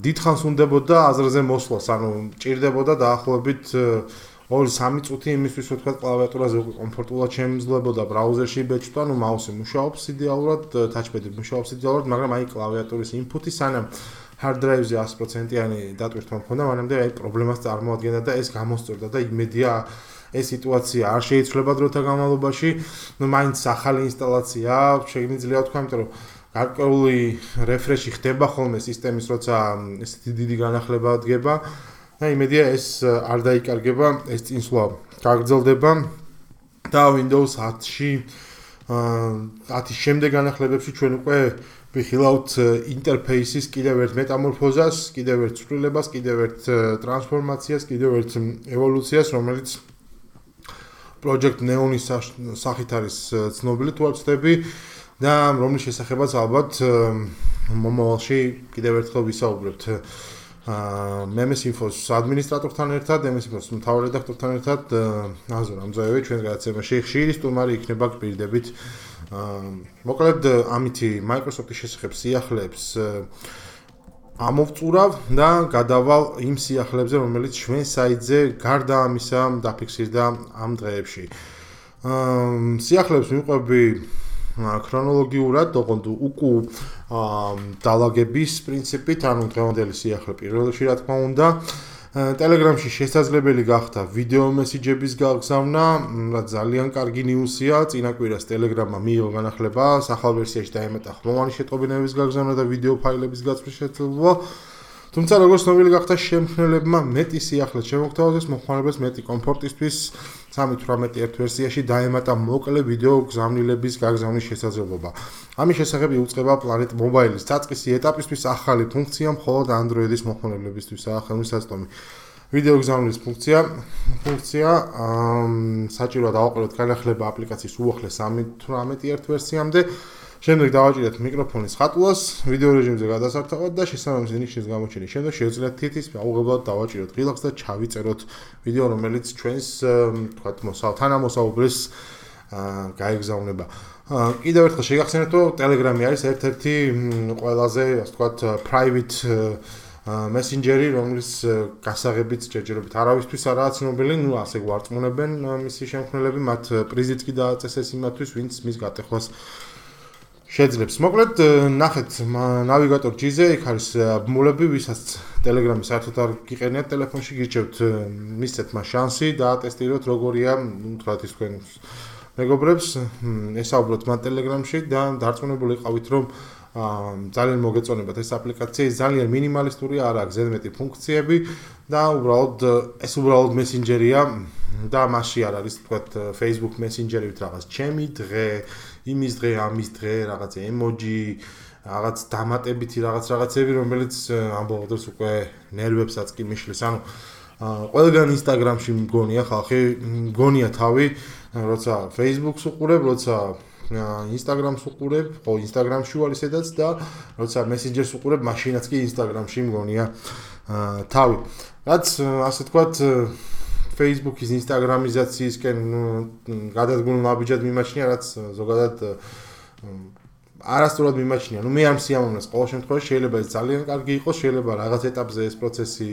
S1: დიდხანს უნდებოდა აზრზე მოსვლას, ჭირდებოდა დაახლოებით 2-3 წუთი იმისთვის, რომ თქვა კლავიატურაზე უკვე კომფორტულად შემიძლებოდა ბრაუზერში ბეჭდვა, მაუსი მუშაობს იდეალურად, touchpad-ი მუშაობს იდეალურად, მაგრამ აი კლავიატურის input-ი სანამ hard drive-ზე 100%-იანი დატვირთვა მქონდა, მანამდე აი პრობლემას წარმოადგენდა და ეს გამოსწორდა და იმედია ეს სიტუაცია არ შეიცვლება დროთა განმავლობაში, მაინც ახალი ინსტალაცია შეიძლება თქვა, იმიტომ რომ გარკვეული refresh-ი ხდება ხოლმე სისტემის, როცა ესეთი დიდი განახლება დგება და იმედია ეს არ დაიკარგება, ეს წინსვლა გაგრძელდება და Windows 10-ში 10-ის შემდეგ განახლებებში ჩვენ უკვე ვიხილავთ ინტერფეისის კიდევ ერთ მეტამორფოზას, კიდევ ერთ ცვლილებას, კიდევ ერთ ტრანსფორმაციას, კიდევ ერთ ევოლუციას, რომელიც Project Neon-ის სახით არის ცნობილი თუ არ ვცდები და რომლის შესახებაც ალბათ მომავალში კიდევ ერთხელ ვისაუბრებთ Memes Info-ს ადმინისტრატორთან ერთად, Memes Info-ს მთავარ რედაქტორთან ერთად, აზურ ამზაევი ჩვენს გადაცემაში ხშირი სტუმარი იქნება გპირდებით. მოკლედ ამითი Microsoft-ის შესახებ სიახლეებს ამოვწურავ და გადავალ იმ სიახლეებზე, რომელიც ჩვენ საიტზე გარდა ამისა დაფიქსირდა ამ დღეებში. სიახლეებს მივყვები ქრონოლოგიურად, ოღონდ უკუ დალაგების პრინციპით, დღევანდელი სიახლე პირველში რა თქმა უნდა. Telegram-ში შესაძლებელი გახდა ვიდეო მესიჯების გაგზავნა, რაც ძალიან კარგი ნიუსია. წინა კვირას Telegram-მა მიიღო განახლება, ახალ ვერსიაში დაემატა ხმოვანი შეტყობინების გაგზავნა და ვიდეო ფაილების გაწვრის შესაძლებლობა. თუმცა როგორც ცნობილი გახდა, შემქმნელებმა მეტი სიახლე შემოგთავაზეს მოხმარებელს მეტი კომფორტისთვის 3.18 ერთ ვერსიაში დაემატა მოკლე ვიდეო გზავნილების გაგზავნის შესაძლებლობა. ამის შესახებ იუწყება Planet Mobile-ის დაწყისი ეტაპისთვის ახალი ფუნქცია, მხოლოდ Android-ის მოხმარებლებისთვისაა ხელმისაწვდომი. ვიდეო გზავნის ფუნქცია საჭიროა დავაყენოთ განახლება აპლიკაციის უახლეს 3.18 ერთ ვერსიამდე. შემდეგ დავაჭირეთ მიკროფონის ხატულას, ვიდეო რეჟიმზე გადასართავად და შესაბამისი ნიშნის გამოჩენის შემდეგ შევძლებთ თითის აუღებლად დავაჭიროთ ღილაკს და ჩავიწეროთ ვიდეო, რომელიც ჩვენს თქვათ თანამოსაუბრეს გაეგზავნება. კიდევ ერთხელ შეგახსენებთ, რომ Telegram-ი არის ერთ-ერთი ყველაზე, ასე ვთქვათ, private messenger-ი, რომლის გასაღებიც ჯერჯერობით არავისთვის არაა ცნობილი, ასე გვარწმუნებენ მისი შემქმნელები, მათ პრიზიც კი დააწესეს იმათთვის, ვინც მის გატეხვას შეძლებს. მოკლედ, ნახეთ ნავიგატორ G-ზე, იქ არის ბმულები, ვისაც Telegram-ი საერთოდ არ გიყენიათ ტელეფონში, გირჩევთ მისცეთ მას შანსი და ატესტიროთ როგორია, თქვათ ის თქვენ მეგობრებს, ესაუბროთ მათ Telegram-ში და დარწმუნებული იყავით, რომ ძალიან მოგეწონებათ ეს აპლიკაცია, ის ძალიან მინიმალისტურია, არ აქვს ზედმეტი ფუნქციები და ეს უბრალოდ მესენჯერია და მასში არ არის თქვათ Facebook Messenger-ით რაღაც ჩემი დღე, იმის დღე, ამის დღე, რაღაც ემოჯი, რაღაც დამატებითი რაღაცები, რომელიც ამბობ დროს უკვე ნერვებსაც კი მიშლის. ანუ ყველგან Instagram-ში მგონია ხალხი, მგონია თავი, როცა Facebook-ს უყურებ, როცა Instagram-ს უყურებ, ხო Instagram-ში ვალ ისედაც და როცა Messenger-ს უყურებ, მაშინაც კი Instagram-ში მგონია თავი. რაც ასე თქვათ Facebook-ის Instagram-იზაციისკენ გადადგმულ ნაბიჯად მიმაჩნია, რაც ზოგადად არასწორად მიმაჩნია. მე ამ სიამოვნებას ყოველ შემთხვევაში შეიძლება ეს ძალიან კარგი იყოს, შეიძლება რაღაც ეტაპზე ეს პროცესი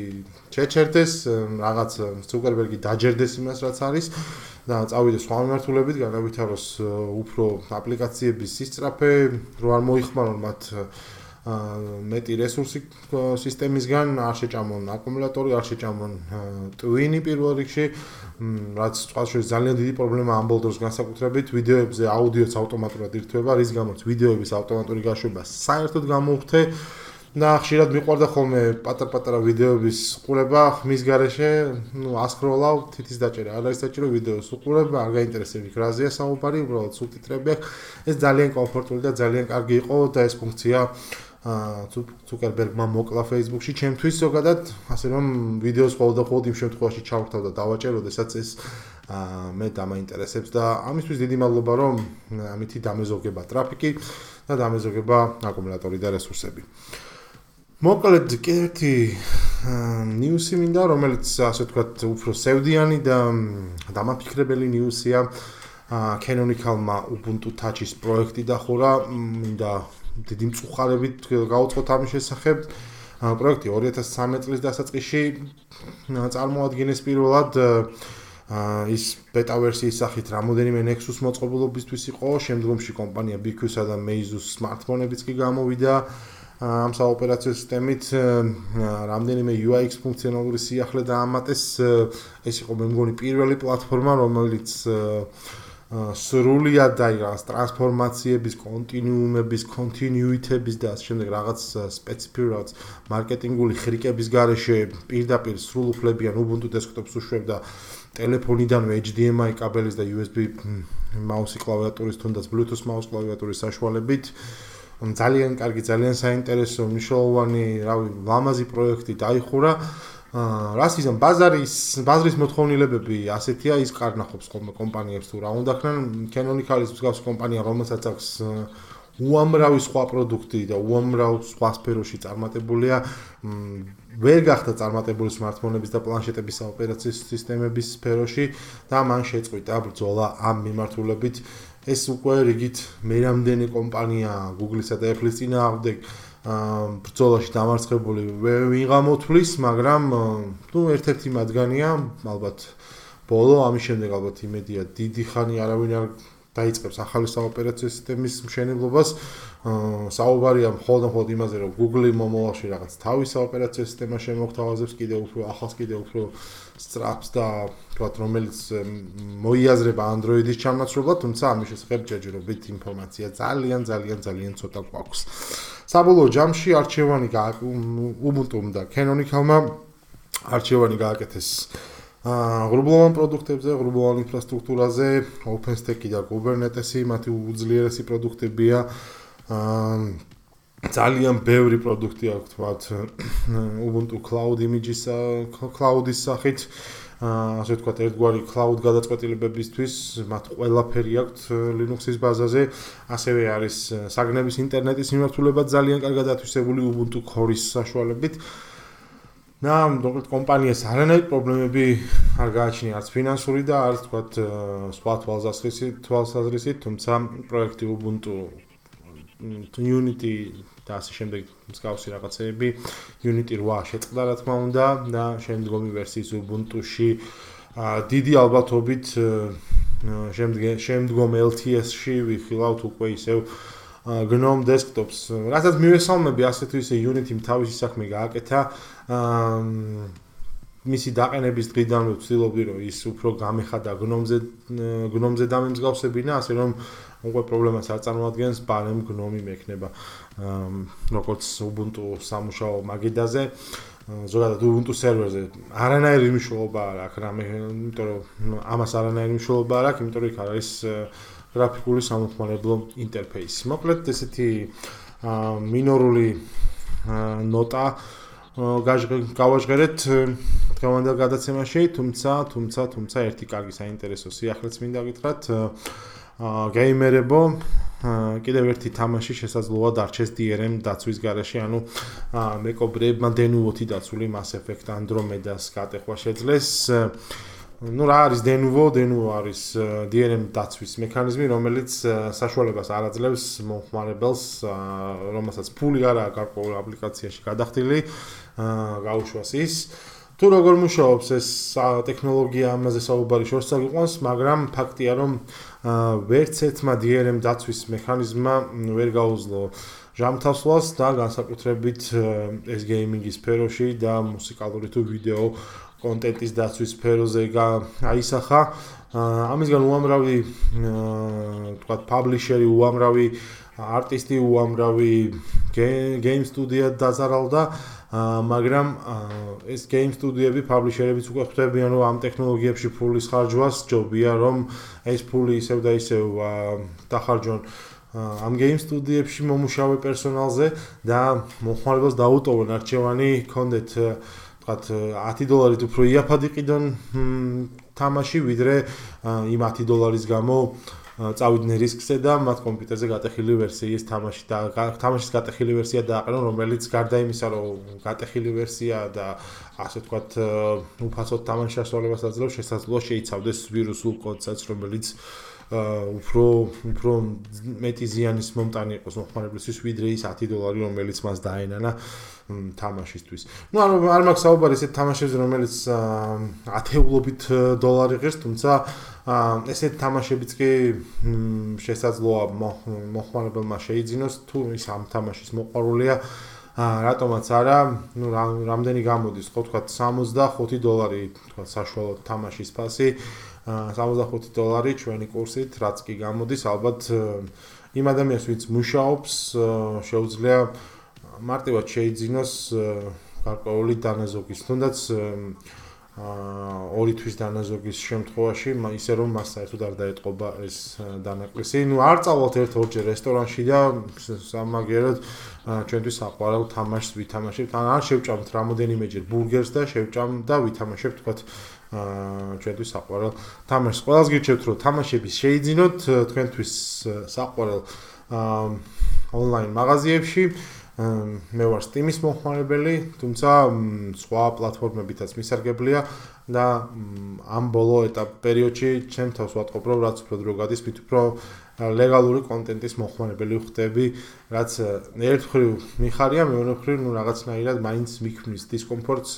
S1: შეჩერდეს, რაღაც Zuckerberg-ი დაჯერდეს იმას, რაც არის და წავიდეს სხვა მიმართულებით, განავითაროს უფრო აპლიკაციების სისწრაფე, რო არ მოიხმარონ მათ მეტი რესურსი სისტემისგან, არ შეჭამონ აკუმულატორი, არ შეჭამონ ტვინი პირველ რიგში, რაც წყალშორის ძალიან დიდი პრობლემაა ამ ბოლოს განსაკუთრებით ვიდეოებზე აუდიოც ავტომატურად ირთვება, რის გამოც ვიდეოების ავტომატური გაშვება საერთოდ გამოვხდე და ხშირად მიყვარდა ხოლმე პატარ-პატარა ვიდეოების ყურება ხმის გარეშე, ასკროლავ, თითის დაჭერა არ არის საჭირო ვიდეოს უყურებ, არ გაინტერესებს იქ რაზეა საუბარი, უბრალოდ სუბტიტრები აქვს. ეს ძალიან კომფორტული და ძალიან კარგი იყო და ეს ფუნქცია Zuckerberg-მა მოკლა Facebook-ში ჩემთვის ზოგადად, ასე რომ ვიდეოს ყოველდღე იმ შემთხვევაში ჩავრთავ და დავაჭერ, როდესაც ეს მე დამაინტერესებს და ამისთვის დიდი მადლობა, რომ ამითი დამეზოგება ტრაფიკი და დამეზოგება აკუმულატორი და რესურსები. მოკლედ კიდევ ნიუსი მინდა, რომელიც ასე ვთქვათ, უფრო სევდიანი და დამაფიქრებელი ნიუსია. Canonical-მა Ubuntu Touch-ის პროექტი დახურა, მინდა დიდი მწუხარებით გავუწყოთ ამის შესახებ. პროექტი 2013 წლის დასაწყისში წარმოადგენს პირველად ის ბეტა ვერსიის სახით რამოდენიმე Nexus მოწყობილობისთვის იყო, შემდგომში კომპანია BQ-სა და Meizu-ს smartphone-ებიც კი გამოვიდა ამ საოპერაციო სისტემით, რამდენიმე UX ფუნქციონალური სიახლე დაამატეს. ეს იყო მე მგონი პირველი პლატფორმა, რომელიც სრულად დაიღალს ტრანსფორმაციების, კონტინიუმების, კონტინიუიტების და ასე შემდეგ რაღაც სპეციფიური რაღაც მარკეტინგული ხრიკების გარეშე პირდაპირ სრულ უფლებიან Ubuntu desktop-ს უშვებდა ტელეფონიდანვე HDMI კაბელის და USB მაუსი კლავიატურის თუნდაც Bluetooth მაუს კლავიატურის საშუალებით. ძალიან კარგი, ძალიან საინტერესო, მნიშვნელოვანი, ლამაზი პროექტი დაიხურა. რას იზამ ბაზრის მოთხოვნილებები ასეთია, ის კარნახობს ხოლმე კომპანიებს თუ რა უნდა ხნან. Canonical-ის მსგავსი კომპანია, რომელსაც აქვს უამრავი სხვა პროდუქტი და უამრავ სხვა სფეროში წარმატებულია, ვერ გახდა წარმატებული smartphone-ების და პლანშეტების ოპერაციის სისტემების სფეროში და მან შეწყვიტა ბრძოლა ამ მიმართულებით. ეს უკვე რიგით მერამდენი კომპანია Google-ისა და Apple-ის წინააღმდეგ ბრძოლაში დამარცხებული ვინ გამოთვლის, მაგრამ ერთ-ერთი მათგანია, ალბათ ბოლო, ამის შემდეგ ალბათ იმედია დიდი ხანი არავინ არ დაიწყებს ახალი საოპერაციო სისტემის მშენებლობას. საუბარია მხოლოდ იმაზე, რომ Google მომავალში რაღაც თავის საოპერაციო სისტემა შემოგთავაზებს, კიდევ უფრო ახალს, კიდევ უფრო სწრაფს და თქვათ, რომელიც მოიაზრება Android-ის ჩამონაცვლებლად, თუმცა ამის შესახებ ჯერჯერობით ინფორმაცია ძალიან ცოტა გვაქვს. საბოლოო ჯამში არჩევანი Ubuntu-მ და Canonical-მა არჩევანი გააკეთეს ღრუბლოვან პროდუქტებზე, ღრუბლოვან ინფრასტრუქტურაზე, OpenStack-ი და Kubernetes-ი, მათი უძლიერესი პროდუქტებია. ძალიან ბევრი პროდუქტი აქვს თქვათ Ubuntu Cloud Images Cloud-ის სახით, ასე ვთქვათ, ერთგვარი Cloud გადაწყვეტილებებისთვის, მათ ყველაფერი აქვს Linux-ის ბაზაზე, ასევე არის საგნების ინტერნეტის მიმართულება ძალიან კარგად ათვისებული Ubuntu Core-ის საშუალებით. და მოკლედ კომპანიას არანაირი პრობლემები არ გააჩნია, არც ფინანსური და არც თქვათ სხვა თვალსაზრისით, თუმცა პროექტი Ubuntu Unity და ასე შემდეგ მსგავსი რაღაცეები Unity 8 შეწყდა რა თქმა უნდა და შემდგომი ვერსიის Ubuntu-ში დიდი ალბათობით შემდგომ LTS-ში ვიხილავთ უკვე ისევ GNOME desktops. რასაც მივესალმები, ასე თუ ისე Unity-მ თავისი საქმე გააკეთა. მისი დაყენების დღიდანვე ვცდილობდი, რომ ის უფრო გამეხადა GNOME-ზე დამემსგავსებინა, ასე რომ უკვე პრობლემას არ წარმოადგენს, პარემ GNOME მექნება. როგორც Ubuntu სამუშაო მაგიდაზე, ზოგადად Ubuntu სერვერზე არანაირი მნიშვნელობა არ აქვს რამე, იმიტომ რომ ამას არანაირი მნიშვნელობა არ აქვს, იმიტომ რომ იქ არ არის გრაფიკული სამოხმარებლო ინტერფეისი. მოკლედ ესეთი მინორული ნოტა გავაჟღერეთ დღევანდელ გადაცემაში, თუმცა ერთი კარგი საინტერესო სიახლეც მინდა გითხრათ. გეიმერებო, კიდევ ერთი თამაში შესაძლოა დარჩეს DRM დაცვის გარეშე, ანუ მეკობრეებმა დენუვოთი დაცული Mass Effect Andromeda-ს გატეხვა შეძლეს. Nu რა არის დენუვო? დენუვო არის DRM დაცვის მექანიზმი, რომელიც საშუალებას არ აძლევს მომხმარებელს, რომელსაც ფული არ აქვს გარკვეულ აპლიკაციაში გადახდილი, გაუშვას ის. თუ როგორ მუშაობს ეს ტექნოლოგია, ამაზე საუბარი შორს წაგვიყვანს, მაგრამ ფაქტია, რომ ვერც ერთმა DRM დაცვის მექანიზმმა ვერ გაუძლო ჟამთასვლას და განსაკუთრებით ეს გეიმინგის სფეროში და მუსიკალური თუ ვიდეო კონტენტის დაცვის სფეროზე აისახა. ამისგან უამრავი თქვათ პაბლიშერი, უამრავი არტისტი, უამრავი გეიმ სტუდია დაზარალდა, მაგრამ ეს გეიმ სტუდიები, პაბლიშერებიც უკვე ხვდებიან, რომ ამ ტექნოლოგიებში ფულის ხარჯვას ჯობია, რომ ეს ფული ისევ და ისევ დახარჯონ ამ გეიმ სტუდიებში მომუშავე პერსონალზე და მომხმარებელს დაუტოვონ არჩევანი ჰქონდეთ თქვათ $10 უფრო იაფად იყიდონ თამაში, ვიდრე იმ $10 გამო წავიდნენ რისკზე და მათ კომპიუტერზე გატეხილი ვერსიის თამაშის გატეხილი ვერსია დააყენონ, რომელიც გარდა იმისა, რომ გატეხილი ვერსია და ასე ვთქვათ უფასოდ თამაშის შესრულებას აძლევს, შესაძლოა შეიცავდეს ვირუსულ კოდსაც, რომელიც უფრო მეტი ზიანის მომტანი იყოს მომხმარებლისთვის, ვიდრე ის $10, რომელიც მას დაენანა თამაშისთვის. Ну, არ მაქვს საუბარი ესეთ თამაშებზე, რომელიც ათეულობით $. ღირს, თუმცა ესეთ თამაშებიც კი შესაძლოა მომხმარებელმა შეიძინოს, თუ ის ამ თამაშის მოყვარულია, რატომაც არა, ну, რამდენი გამოდის, ხო თქვათ $65, თქვათ საშუალო თამაშის ფასი, $65 ჩვენი კურსით, რაც კი გამოდის, ალბათ იმ ადამიანს, ვინც მუშაობს, შეუძლია მარტივად შეიძინოს გარკვეული დანაზოგის, თუნდაც 2 თვის დანაზოგის შემთხვევაში, ისე რომ მას საერთოდ არ დაეტყობა ეს დანაკლისი. Ну, არ წავალთ ერთ-ორჯერ რესტორანში და სამაგეროდ ჩვენთვის საყვარელ თამაშს ვითამაშებთ. არ შევჭამთ რამოდენიმეჯერ ბურგერს და შევჭამ და ვითამაშებთ, თქვათ ჩვენთვის საყვარელ თამაშს. ყველას გირჩევთ, რომ თამაშები შეიძინოთ თქვენთვის საყვარელ ონლაინ მაღაზიებში. მე ვარ Steam-ის მომხმარებელი, თუმცა სხვა პლატფორმებითაც მისარგებლია და ამ ბოლო პერიოდში ჩემ თავს ვატყობ, რომ რაც უფრო დრო გადის, მით უფრო ლეგალური კონტენტის მომხმარებელი ვხდები, რაც ერთ მხრივ მიხარია, მეორე მხრივ რაღაცნაირად მაინც მიქმნის დისკომფორტს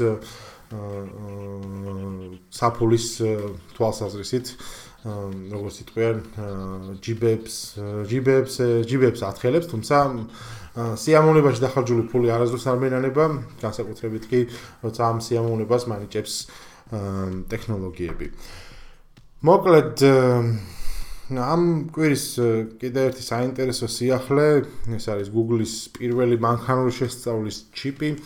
S1: საფულის თვალსაზრისით, როგორც იტყვიან, ჯიბებს ათხელებს, თუმცა სიამოვნებაში დახარჯული ფული არასდროს არ მენანება, განსაკუთრებით კი, როცა ამ სიამოვნებას მანიჭებს ტექნოლოგიები. მოკლედ, ამ კვირის კიდევ ერთი საინტერესო სიახლე, ეს არის Google-ის პირველი მანქანური შესწავლის ჩიპი.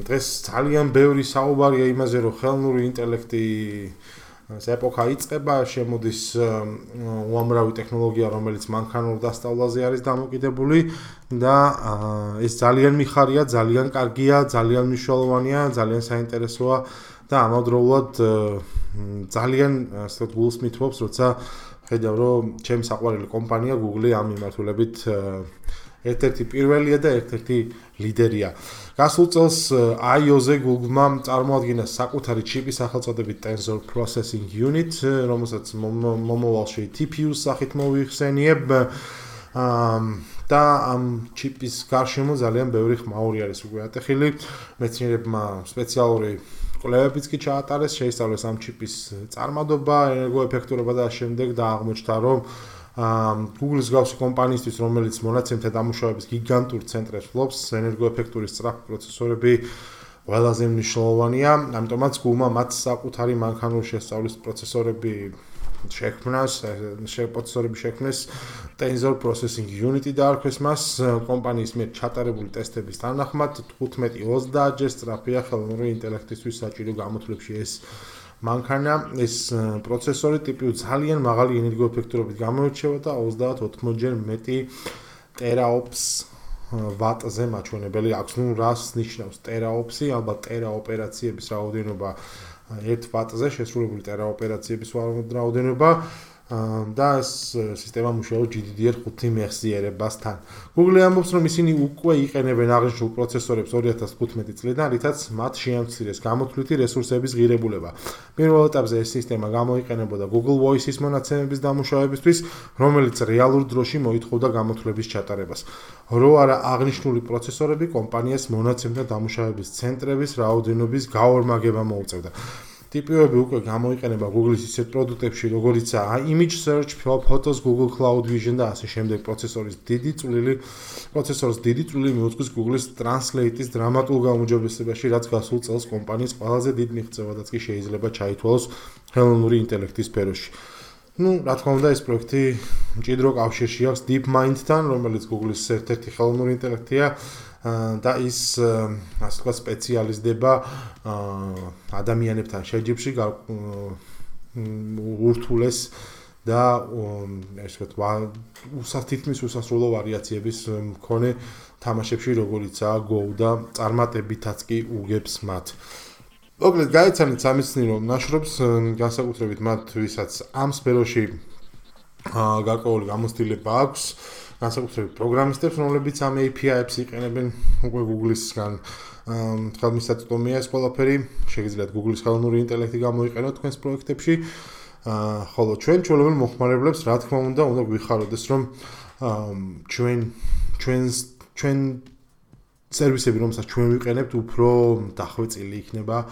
S1: დღეს ძალიან ბევრი საუბარია იმაზე, რომ ხელოვნური ინტელექტი ეპოქა იწყება, შემოდის უამრავი ტექნოლოგია, რომელიც მანქანურ დასწავლაზე არის დამოკიდებული და ეს ძალიან მიხარია, ძალიან კარგია, ძალიან მნიშვნელოვანია, ძალიან საინტერესოა და ამავდროულად ძალიან ასე გულს მithვობს, როცა ხედავ, რომ ჩემი საყვარელი კომპანია Google ამ მიმართულებით ერთ-ერთი პირველია და ერთ-ერთი ლიდერია. გასულ წელს I/O-ზე Google-მა წარმოადგინა საკუთარი ჩიპი სახელწოდებით Tensor Processing Unit, რომელსაც მომავალში TPU-ს სახით მოიხსენიებ და ამ ჩიპის გარშემო ძალიან ბევრი ხმაური არის უკვე ატეხილი. მეცნიერებმა სპეციალური კვლევებიც კი ჩაატარეს, შეისწავლეს ამ ჩიპის წარმადობა, ენერგოეფექტურობა და შემდეგ და აღმოჩნდა, რომ Google-ის გავსი კომპანიისთვის, რომელიც მონაცემთა დამუშავების გიგანტურ ცენტრებს ფლობს, ენერგოეფექტური სწრაფი პროცესორები ყველაზე მნიშვნელოვანია, ამიტომაც Google-მა მათ საკუთარი მანქანური შესწავლის პროცესორები შექმნეს Tensor Processing Unit დაარქვეს მას კომპანიის მიერ ჩატარებული ტესტების თანახმად 15-30 ჯერ სწრაფია ხელოვნური ინტელექტისთვის საჭირო გამოთვლებში ეს მანქანა ეს პროცესორი ტიპი ძალიან მაღალი ენერგოეფექტურობით გამოირჩევა და 30-80 ჯერ მეტი ტერაოპს ვატზე მაჩვენებელი აქვს. ნუ რას ნიშნავს ტერაოპსი? ალბათ ტერა ოპერაციების რაოდენობა 1 ვატზე შესრულებული ტერა ოპერაციების რაოდენობა და ეს სისტემა მუშაობს GDDR5 მეხსიერებასთან. Google ამბობს, რომ ისინი უკვე იყენებენ აღნიშნულ პროცესორებს 2015 წლიდან, რითაც მათ შეამცირეს გამოთვლითი რესურსების ღირებულება. პირველ ეტაპზე ეს სისტემა გამოიყენებოდა Google Voice-ის მონაცემების დამუშავებისთვის, რომელიც რეალურ დროში მოითხოვდა გამოთვლების ჩატარებას. რო არა აღნიშნული პროცესორები კომპანიას მონაცემთა დამუშავების ცენტრების რაოდენობის გაორმაგება მოუწევდა. ტიპები უკვე გამოიყენება Google-ის ისეთ პროდუქტებში, როგორიცაა Image Search, Photos, Google Cloud Vision და ასე შემდეგ. პროცესორის დიდი წვლილი მიუძღვის Google-ის Translate-ის დრამატულ გაუმჯობესებაში, რაც გასულ წელს კომპანიის ყველაზე დიდ მიღწევადაც კი შეიძლება ჩაითვალოს ხელოვნური ინტელექტის სფეროში. ნუ, რა თქმა უნდა, ეს პროექტი მჭიდრო კავშირში აქვს DeepMind-თან, რომელიც Google-ის ერთ-ერთი ხელოვნური ინტელექტია. და ის ასე ვთქვათ სპეციალიზდება ადამიანებთან შეჯიბრში ურთულეს და ესე ვთქვათ თითქმის უსასრულო ვარიაციების მქონე თამაშებში როგორიცაა Go და წარმატებითაც კი უგებს მათ. მოკლედ გაიცანით სამეცნიერო ნაშრომს განსაკუთრებით მათ ვისაც ამ სფეროში გარკვეული გამოცდილება აქვს განსაკუთრებით პროგრამისტებს, რომლებიც ამ API-ებს იყენებენ უკვე Google-ისგან. ხელმისაწვდომია ეს ყველაფერი, შეგიძლიათ Google-ის ხელოვნური ინტელექტი გამოიყენოთ თქვენს პროექტებში. ხოლო ჩვენებელ მოხმარებლებს, რა თქმა უნდა გვიხაროდეს, რომ ჩვენ სერვისები, რომელსაც ჩვენ ვიყენებთ, უფრო დახვეწილი იქნება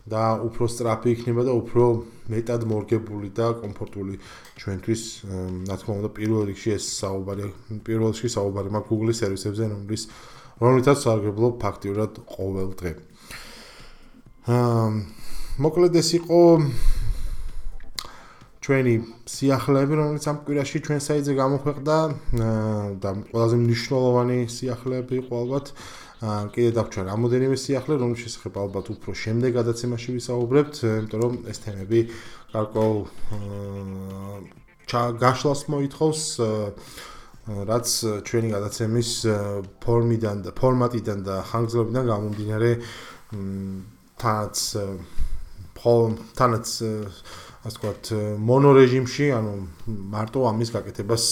S1: და უფრო სწრაფი იქნება და უფრო მეტად მორგებული და კომფორტული ჩვენთვის. რა თქმა უნდა, პირველ რიგში საუბარი მაქვს Google-ის სერვისებზე, რომლითაც სარგებლობ ფაქტიურად ყოველ დღე. მოკლედ ეს იყო ჩვენი სიახლეები, რომელიც ამ კვირაში ჩვენ საიტზე გამოქვეყნდა და ყველაზე მნიშვნელოვანი სიახლეები იყო ალბათ. კიდე დაგვჭირა რამოდენიმე სიახლე, რომლის შესახებ ალბათ უფრო შემდეგ გადაცემაში ვისაუბრებთ, იმიტომ რომ ეს თემები გარკვეულ გაშლას მოითხოვს, რაც ჩვენი გადაცემის ფორმატიდან და ხანგრძლივობიდან გამომდინარე თანაც ასე ვთქვათ მონორეჟიმში, ანუ მარტო ამის გაკეთებას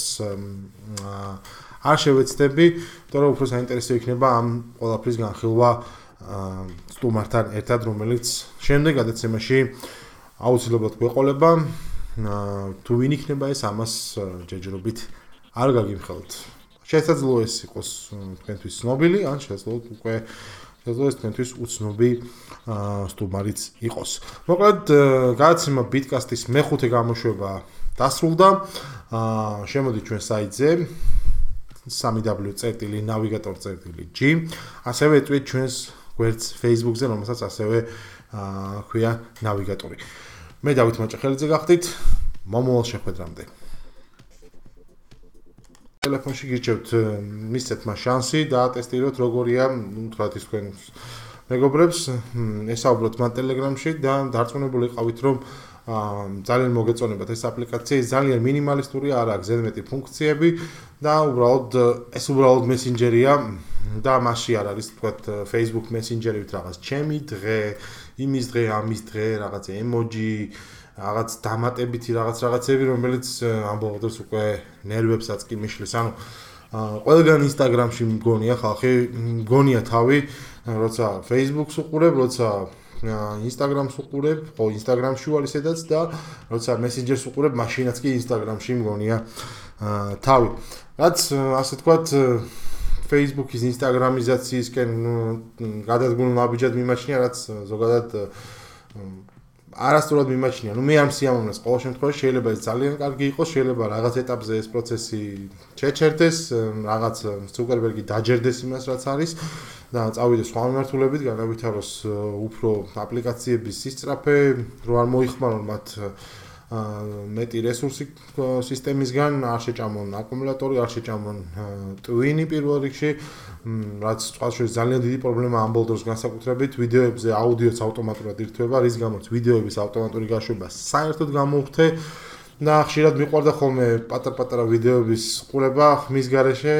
S1: არ შევეცდები, თორე უფრო საინტერესო იქნება ამ ყველაფრის განხილვა სტუმართან ერთად, რომელიც შემდეგ გადაცემაში აუცილებლად გვეყოლება. თუ ვინ იქნება ეს, ამას ჯერჯერობით არ გაგიმხელთ. შესაძლოა ეს იყოს თქვენთვის ცნობილი, ან შესაძლოა ეს თქვენთვის უცნობი სტუმარიც იყოს. მოკლედ, გადაცემა Bitcast-ის მეხუთე გამოშვება დასრულდა. შემოდით ჩვენ საიტზე www.navigator.g ასევე ეტყვით ჩვენს გვერდს Facebook-ზე, რომელსაც ასევე ქვია ნავიგატორი. მე დავით მაჭახელიძე გახდით. მომავალ შეხვედრამდე. ტელეფონში გირჩევთ მისცეთ მას შანსი და ატესტიროთ როგორია, თქვათ ის თქვენ მეგობრებს, ესაუბროთ მათ Telegram-ში და დარწმუნებული იყავით, რომ ძალიან მოგეწონებათ ეს აპლიკაცია, ძალიან მინიმალისტური, არ აქვს ზედმეტი ფუნქციები და ეს უბრალოდ მესენჯერია და მასში არ არის თქვათ Facebook Messenger-ით რაღაც ჩემი დღე, იმის დღე, ამის დღე, რაღაც ემოჯი, რაღაც დამატებითი რაღაცები, რომელიც ამბობ დროს უკვე ნერვებსაც კი მიშლის. ანუ ყველგან Instagram-ში მგონია ხალხი, მგონია თავი, როცა Facebook-ს უყურებ, როცა Instagram-ს უყურებ, ხო Instagram-ში ვარ ისედაც და როცა Messenger-ს უყურებ, მაშინაც კი Instagram-ში მგონია თავი. რაც ასე თქვათ Facebook-ის Instagram-იზაციისკენ გადადგმულ ნაბიჯად მიმაჩნია, რაც ზოგადად არასწორად მიმაჩნია. მე არ მსიამოვნებს ყოველ შემთხვევაში შეიძლება ეს ძალიან კარგი იყოს, შეიძლება რაღაც ეტაპზე ეს პროცესი შეჩერდეს, რაღაც ზუკერბერგი დაჯერდეს იმას რაც არის და წავიდეს სხვა მიმართულებით, განავითაროს უფრო აპლიკაციების სისწრაფე, რო არ მოიხმარონ მათ მეტი რესურსი სისტემისგან, არ შეჭამონ აკუმულატორი, არ შეჭამონ ტვინი პირველ რიგში, რაც წყალში ძალიან დიდი პრობლემა ამ ბოლოს განსაკუთრებით ვიდეოებზე აუდიოც ავტომატურად ირთვება, რის გამოც ვიდეოების ავტომატური გაშვება საერთოდ გამოვხდე და ხშირად მიყვარდა ხოლმე პატარ-პატარა ვიდეოების ყურება ხმის გარეშე,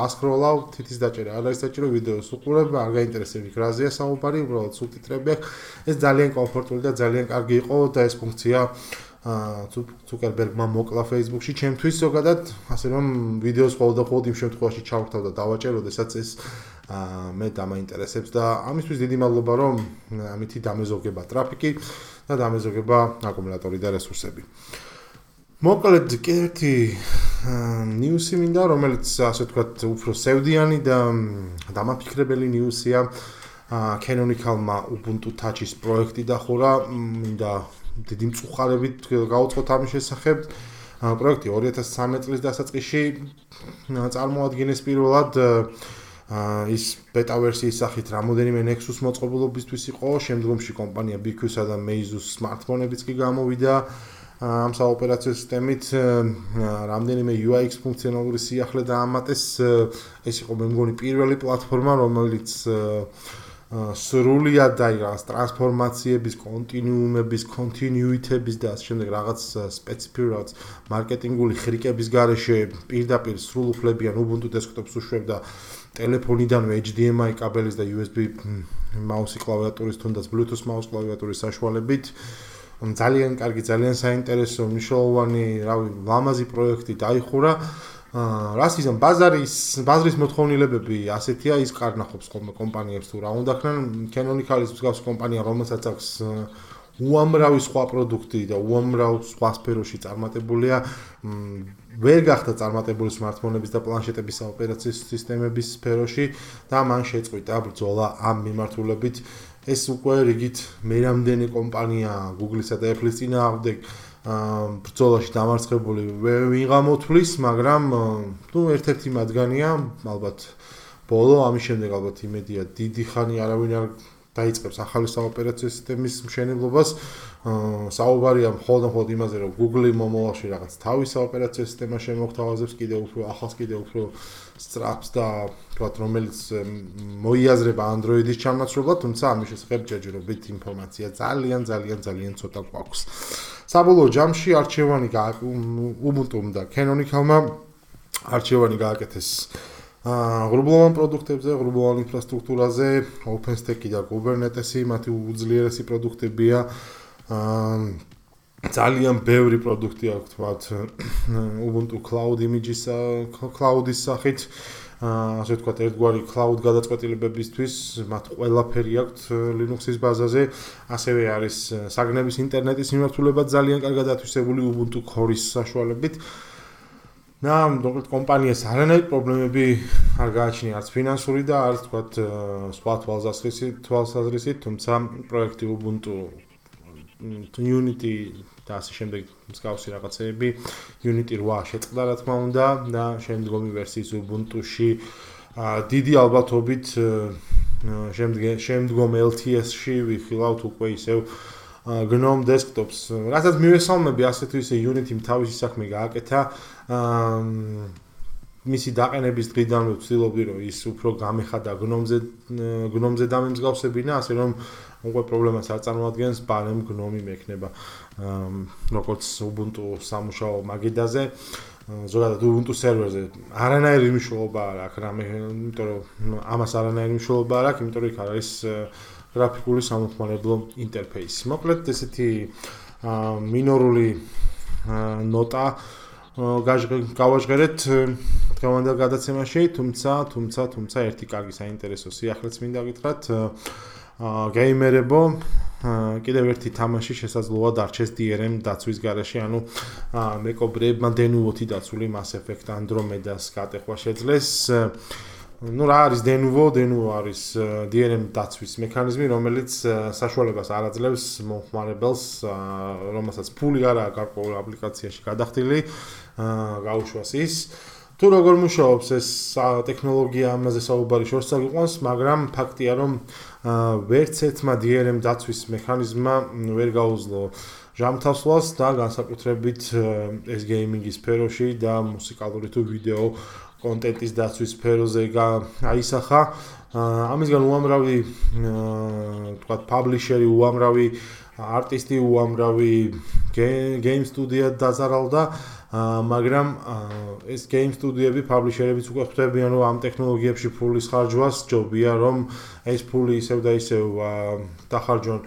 S1: ასკროლავ, თითის დაჭერა, არ არის საჭირო ვიდეოს უყურებ, არ გაინტერესებს იქ რაზეა საუბარი, უბრალოდ სუბტიტრები აქვს. ეს ძალიან კომფორტული და ძალიან კარგი იყო და ეს ფუნქცია ზუკერბერგმა მოკლა Facebook-ში ჩემთვის ზოგადად, ასე რომ ვიდეოს ყოველდღიურად იმ შემთხვევაში ჩავრთავ და დავაჭერ, როდესაც ეს მე დამაინტერესებს და ამისთვის დიდი მადლობა, რომ ამითი დამეზოგება ტრაფიკი და დამეზოგება აკუმულატორი და რესურსები. მოკლედ კიდევ ერთი ნიუსი მინდა, რომელიც ასე ვთქვათ, უფრო სევდიანი და დამაფიქრებელი ნიუსია. Canonical-მა Ubuntu Touch-ის პროექტი დახურა, მინდა დიდი მწუხარებით გავუწყოთ ამის შესახებ. პროექტი 2013 წლის დასაწყისში წარმოადგენს პირველად ის ბეტა ვერსიის სახით რამოდენიმე Nexus მოწყობილობისთვის იყო, შემდგომში კომპანია BQ-სა და Meizu-ს smartphone-ებიც კი გამოვიდა ამ საოპერაციო სისტემით, რამდენიმე UX ფუნქციონალური სიახლე დაამატეს. ეს იყო მე მგონი პირველი პლატფორმა, რომელიც სრულიად დაიღალეს ტრანსფორმაციების, კონტინიუმების, კონტინიუიტების და ასე შემდეგ რაღაც სპეციფიკური მარკეტინგული ხრიკების გარეშე პირდაპირ სრულუფლებიან Ubuntu desktop-ს უშვებდა ტელეფონიდანვე HDMI კაბელის და USB მაუსი კლავიატურის თუნდაც Bluetooth მაუს კლავიატურის საშუალებით. ძალიან კარგი, ძალიან საინტერესო, მნიშვნელოვანი, ლამაზი პროექტი დაიხურა. რასიზმ ბაზრის მოთხოვნილებები ასეთია, ის კარნახობს ხოლმე კომპანიებს თუ რა უნდა ხნან. Canonical-ის მსგავსი კომპანია, რომელსაც აქვს უამრავი სხვა პროდუქტი და უამრავ სხვა სფეროში წარმატებულია, ვერ გახდა წარმატებული smartphone-ების და პლანშეტების საოპერაციო სისტემების სფეროში და მან შეწყვიტა ბრძოლა ამ მიმართულებით. ეს უკვე რიგით მერამდენი კომპანია Google-ისა და Apple-ის წინააღმდეგ ბრძოლაში დამარცხებული ვინ გამოთვლის, მაგრამ ერთ-ერთი მათგანია, ალბათ ბოლო, ამის შემდეგ ალბათ იმედია დიდი ხანი არავინ არ დაიწყებს ახალი საოპერაციო სისტემის მშენებლობას. საუბარია მხოლოდ იმაზე, რომ Google მომავალში რაღაც თავის საოპერაციო სისტემა შემოგთავაზებს, კიდევ უფრო ახალს, კიდევ უფრო სწრაფს და თქვათ, რომელიც მოიაზრება Android-ის ჩამონაცვლებლად, თუმცა ამის შესახებ ჯერჯერობით ინფორმაცია ძალიან ცოტა გვაქვს. საბოლოო ჯამში არჩევანი Ubuntu-მ და Canonical-მა არჩევანი გააკეთეს ღრუბლოვან პროდუქტებზე, ღრუბლოვან ინფრასტრუქტურაზე, OpenStack-ი და Kubernetes-ი, მათი უძლიერესი პროდუქტებია. ძალიან ბევრი პროდუქტი აქვს, თქვათ, Ubuntu Cloud Images, Cloud-ის სახით, ასე ვთქვათ, ერთგვარი Cloud გადაწყვეტილებებისთვის, მათ ყველაფერი აქვს Linux-ის ბაზაზე, ასევე არის საგნების ინტერნეტის მიმართულება ძალიან კარგად ათვისებული Ubuntu Core-ის საშუალებით. და კომპანიას არანაირი პრობლემები არ გააჩნია, არც ფინანსური და არც თქვათ სხვა თვალსაზრისით, თუმცა პროექტი Ubuntu Unity და ასე შემდეგ მსგავსი რაღაცეები Unity 8 შეწყდა რა თქმა უნდა და შემდგომი ვერსიის Ubuntu-ში დიდი ალბათობით შემდგომ LTS-ში ვიხილავთ უკვე ისევ GNOME desktop-ს, რასაც მივესალმები, ასეთ ისე Unity-მ თავისი საქმე გააკეთა. მისი დაყენების დღიდანვე ვცდილობდი, რომ ის უფრო გამეხადა GNOME-ზე დამემსგავსებინა, ასე რომ უკვე პრობლემას არ წარმოადგენს, ბარემ GNOME მექნება როგორც Ubuntu სამუშაო მაგიდაზე, ზოგადად Ubuntu სერვერზე არანაირი მნიშვნელობა არ აქვს რამე, იმიტომ რომ ამას არანაირი მნიშვნელობა არ აქვს, იმიტომ რომ იქ არის გრაფიკული სამომხმარებლო ინტერფეისი. მოკლედ ესეთი მინორული ნოტა გავაჟღერეთ დღევანდელ გადაცემაში, თუმცა ერთი კარგი საინტერესო სიახლეც მინდა გითხრათ. გეიმერებო, კიდევ ერთი თამაში შესაძლოა დარჩეს DRM დაცვის გარეშე, ანუ მეკობრეებმა დენუვოთი დაცული Mass Effect Andromeda-ს გატეხვა შეძლეს. ну რა არის Denuvo არის DRM დაცვის მექანიზმი, რომელიც საშუალებას არ აძლევს მომხმარებელს, რომელსაც ფული არ აქვს გარკვეულ აპლიკაციაში გადახდილი, გაუშვას ის. თუ როგორ მუშაობს ეს ტექნოლოგია, ამაზე საუბარი შორს წაგვიყვანს, მაგრამ ფაქტია, რომ ვერც ერთმა DRM დაცვის მექანიზმმა ვერ გაუძლო ჟამთასვლას და განსაკუთრებით ეს გეიმინგის სფეროში და მუსიკალური თუ ვიდეო კონტენტის დაცვის სფეროზე აისახა. ამისგან უამრავი თქვათ პაბლიშერი, უამრავი არტისტი, უამრავი გეიმ სტუდია დაზარალდა, მაგრამ ეს გეიმ სტუდიები, პაბლიშერებიც უკვე ხვდებიან, რომ ამ ტექნოლოგიებში ფულის ხარჯვას ჯობია, რომ ეს ფული ისევ და ისევ დახარჯონ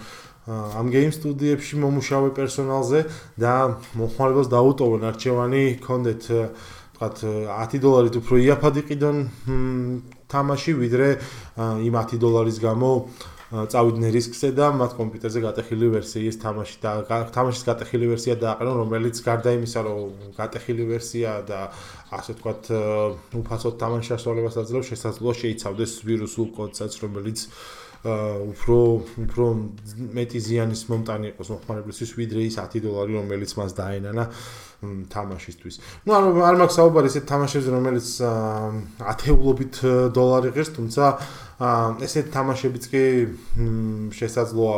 S1: ამ გეიმ სტუდიებში მომუშავე პერსონალზე და მომხმარებელს დაუტოვონ არჩევანი, კონდეთ $10 უფრო იაფად იყიდონ თამაში, ვიდრე იმ $10 გამო წავიდნენ რისკზე და მათ კომპიუტერზე გატეხილი ვერსიის თამაშის გატეხილი ვერსია დააყენონ, რომელიც გარდა იმისა, რომ გატეხილი ვერსია და ასე ვთქვათ, უფასოდ თამაშის შესრულებას აძლევს, შესაძლოა შეიცავდეს ვირუსულ კოდსაც, რომელიც უფრო მეტი ზიანის მომტანი იყოს მომხმარებლისთვის, ვიდრე ის $10, რომელიც მას დაენანა თამაშისთვის. Ну, არ მაქვს საუბარი ესეთ თამაშებზე, რომელიც ათეულობით $. ღირს, თუმცა ესეთ თამაშებიც კი შესაძლოა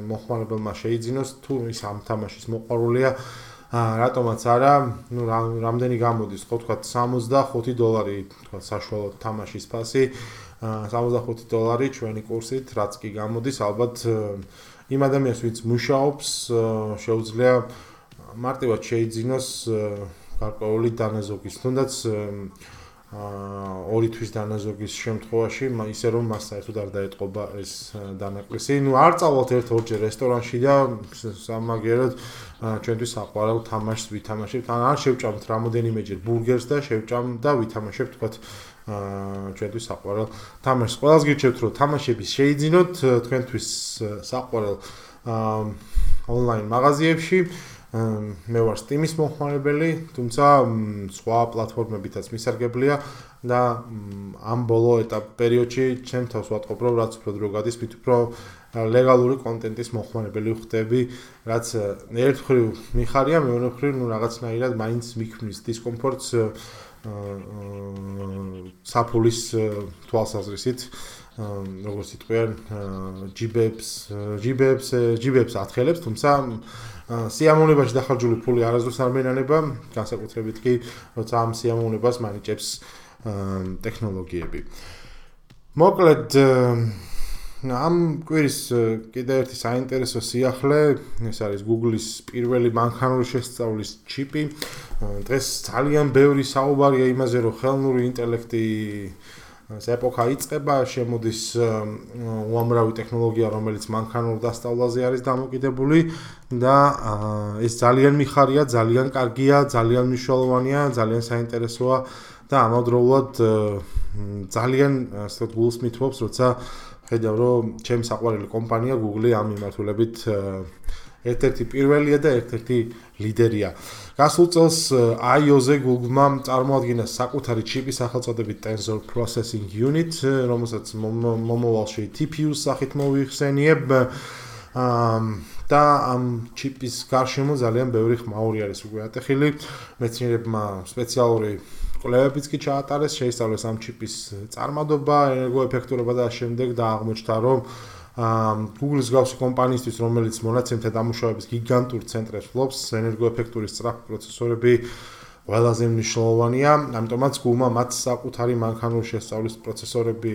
S1: მომხმარებელმა შეიძინოს, თუ ის ამ თამაშის მოყვარულია, რატომაც არა, ну, რამდენი გამოდის, ხო თქვა $65, თქვა საშუალო თამაშის ფასი, $65 ჩვენი კურსით, რაც კი გამოდის, ალბათ იმ ადამიანს, ვინც მუშაობს, შეუძლია მარტივად შეიძინოს გარკვეული დანაზოგის, თუნდაც 2 თვის დანაზოგის შემთხვევაში, ისე რომ მას საერთოდ არ დაეტყობა ეს დანაკლისი. Ну, არ წავალთ ერთ-ორჯერ რესტორანში და სამაგერად ჩვენთვის საყვარელ თამაშს ვითამაშებთ. არ შევჭამთ რამოდენიმეჯერ ბურგერს და შევჭამ და ვითამაშებთ, თქვათ, ჩვენთვის საყვარელ თამაშს. ყველას გირჩევთ, რომ თამაშების შეიძინოთ თქვენთვის საყვარელ ონლაინ მაღაზიებში. მე ვარ Steam-ის მომხმარებელი, თუმცა სხვა პლატფორმებითაც მისარგებლია და ამ ბოლო პერიოდში ჩემ თავს ვატყობ, რომ რაც უფრო დრო გადის, მით უფრო ლეგალური კონტენტის მომხმარებელი ვხდები, რაც ერთ მხრივ მიხარია, მეორე მხრივ რაღაცნაირად მაინც მიქმნის დისკომფორტს საფულის თვალსაზრისით, როგორც იტყვიან, ჯიბებს ათხელებს, თუმცა სიამოვნებაში დახარჯული ფული არასდროს არ მენანება, განსაკუთრებით კი, როცა ამ სიამოვნებას მანიჭებს ტექნოლოგიები. მოკლედ, ამ კვირის კიდევ ერთი საინტერესო სიახლე, ეს არის Google-ის პირველი მანქანური შესწავლის ჩიპი. დღეს ძალიან ბევრი საუბარია იმაზე, რომ ხელოვნური ინტელექტი ეს ეპოქა იწყება, შემოდის უამრავი ტექნოლოგია, რომელიც მანქანურ დასწავლაზე არის დამოკიდებული და ეს ძალიან მიხარია, ძალიან კარგია, ძალიან მნიშვნელოვანია, ძალიან საინტერესოა და ამავდროულად ძალიან ასე გულს მithობს, როცა ხედავ, რომ ჩემი საყვარელი კომპანია Google ამ მიმართულებით ერთ-ერთი პირველია და ერთ-ერთი ლიდერია. გასულ წელს I/O-ზე Google-მა წარმოადგინა საკუთარი ჩიპი სახელწოდებით Tensor Processing Unit, რომელსაც მომავალში TPU-ს სახით მოიხსენიებ და ამ ჩიპის გარშემო ძალიან ბევრი ხმაური არის უკვე ატეხილი. მეცნიერებმა სპეციალური კვლევებიც კი ჩაატარეს, შეისწავლეს ამ ჩიპის წარმადობა, ენერგოეფექტურობა და შემდეგ და აღმოჩნდა, რომ Google-ის გავსი კომპანიისთვის, რომელიც მონაცემთა დამუშავების გიგანტურ ცენტრებს ფლობს, ენერგოეფექტური სწრაფი პროცესორები ყველაზე მნიშვნელოვანია, ამიტომაც Google-მა მათ საკუთარი მანქანური შესწავლის პროცესორები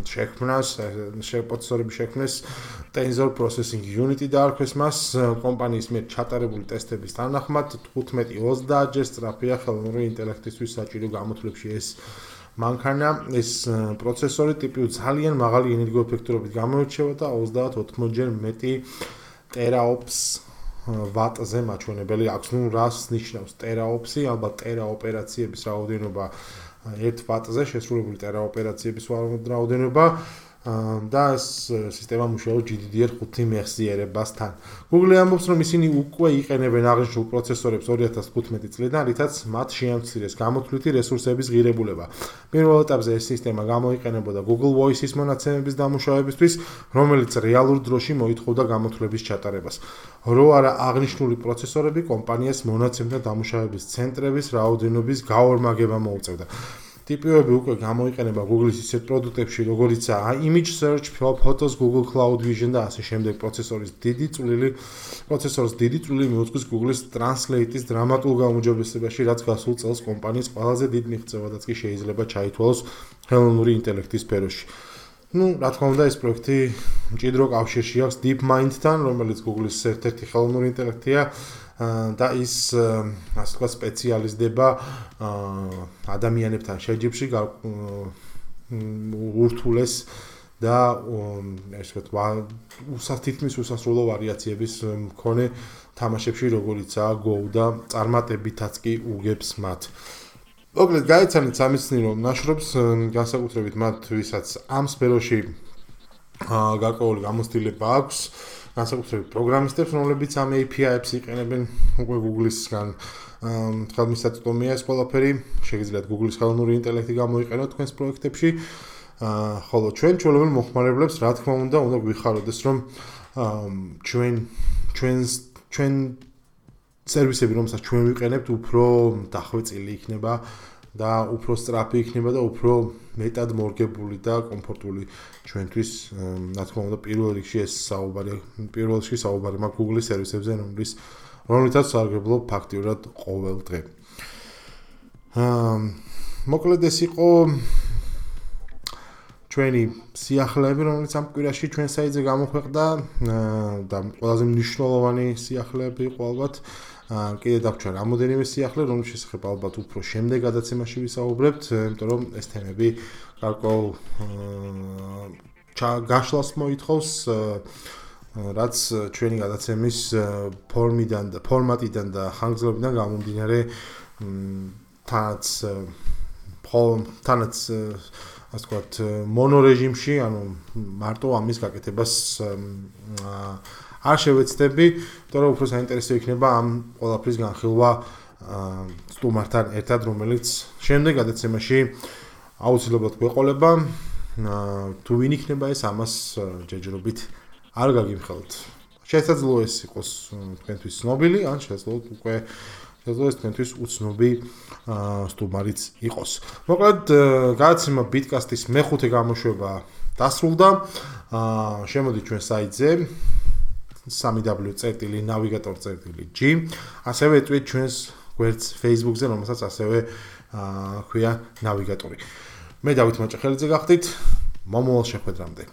S1: შექმნეს, Tensor Processing Unit დაარქვეს მას, კომპანიის მიერ ჩატარებული ტესტების თანახმად 15-30 ჯერ სწრაფია ხელოვნური ინტელექტისთვის საჭირო გამოთვლებში ეს მანქანა, ეს პროცესორი ტიპი ძალიან მაღალი ენერგოეფექტურობით გამოირჩევა და 30-80 ჯერ მეტი ტერაოპს ვატზე მაჩვენებელი აქვს. ნუ რას ნიშნავს ტერაოპსი? ალბათ ტერა ოპერაციების რაოდენობა 1 ვატზე, შესრულებული ტერა ოპერაციების რაოდენობა და ეს სისტემა მუშაობს GDDR5 მეხსიერებასთან. Google ამბობს, რომ ისინი უკვე იყენებენ აღნიშნულ პროცესორებს 2015 წლიდან, რითაც მათ შეამცირეს გამოთვლითი რესურსების ღირებულება. პირველ ეტაპზე ეს სისტემა გამოიყენებოდა Google Voice-ის მონაცემების დამუშავებისთვის, რომელიც რეალურ დროში მოითხოვდა გამოთვლების ჩატარებას. რო არა აღნიშნული პროცესორები კომპანიას მონაცემთა დამუშავების ცენტრების რაოდენობის გაორმაგება მოუწევდა. ტიპები უკვე გამოიყენება Google-ის ისეთ პროდუქტებში, როგორიცაა Image Search, Photos, Google Cloud Vision და ასე შემდეგ. პროცესორის დიდი წვლილი მიუძღვის Google-ის Translate-ის დრამატულ გაუმჯობესებაში, რაც გასულ წელს კომპანიის ყველაზე დიდ მიღწევადაც კი შეიძლება ჩაითვალოს ხელოვნური ინტელექტის სფეროში. რა თქმა უნდა, ეს პროექტი მჭიდრო კავშირში აქვს DeepMind-თან, რომელიც Google-ის ერთ-ერთი ხელოვნური ინტელექტია. და ის ასე ვთქვათ სპეციალიზდება ადამიანებთან შეჯიბრში ურთულეს და ასე ვთქვათ უსათითმის უსასრულო ვარიაციების მქონე თამაშებში, როგორიცაა Go და წარმატებითაც კი უგებს მათ. მოკლედ გაიცანით სამეცნიერო ნაშრომს, განსაკუთრებით მათ, ვისაც ამ სფეროში გარკვეული გამოცდილება აქვს. განსაკუთრებით პროგრამისტებს, რომლებიც ამ API-ებს იყენებენ უკვე Google-ისგან. ხელმისაწვდომია ეს ყველაფერი, შეგიძლიათ Google-ის ხელოვნური ინტელექტი გამოიყენოთ თქვენს პროექტებში. ხოლო ჩვენ ჩვეულებრივ მოხმარებლებს, რა თქმა უნდა, უნდა გვიხაროდეს, რომ ჩვენ სერვისები, რომელსაც ჩვენ ვიყენებთ, უფრო დახვეწილი იქნება და უფრო სწრაფი იქნება და უფრო მეტად მორგებული და კომფორტული ჩვენთვის. რა თქმა უნდა, პირველ რიგში საუბარი მაქვს Google-ის სერვისებზე, რომლითაც სარგებლობ ფაქტიურად ყოველ დღე. მოკლედ ეს იყო ჩვენი სიახლეები, რომელიც ამ კვირაში ჩვენ საიტზე გამოქვეყნდა და ყველაზე მნიშვნელოვანი სიახლეები იყო ალბათ. კიდე დაგვრჩა რამოდენიმე სიახლე, რომლის შესახებ ალბათ უფრო შემდეგ გადაცემაში ვისაუბრებთ, იმიტომ რომ ეს თემები გარკვეულ გაშლას მოითხოვს, რაც ჩვენი გადაცემის ფორმატიდან და ხანგრძლივობიდან გამომდინარე თანაც ასე ვთქვათ მონორეჟიმში, ანუ მარტო ამის გაკეთებას არ შევეცდები, იმიტომ რომ უფრო საინტერესო იქნება ამ ყველაფრის განხილვა სტუმართან ერთად, რომელიც შემდეგ გადაცემაში აუცილებლად გვეყოლება. თუ ვინ იქნება ეს, ამას ჯერჯერობით არ გაგიმხელთ. შესაძლოა ეს იყოს თქვენთვის ცნობილი, ან შესაძლოა ეს თქვენთვის უცნობი სტუმარიც იყოს. მოკლედ, გადაცემა ბიტკასტის მეხუთე გამოშვება დასრულდა. შემოდით ჩვენ საიტზე www.navigator.g. ასევე ეტყვით ჩვენს გვერდს Facebook-ზე, რომელსაც ასევე ქვია ნავიგატორი. მე დავით მაჭახელიძე გახდით. მომავალ შეხვედრამდე.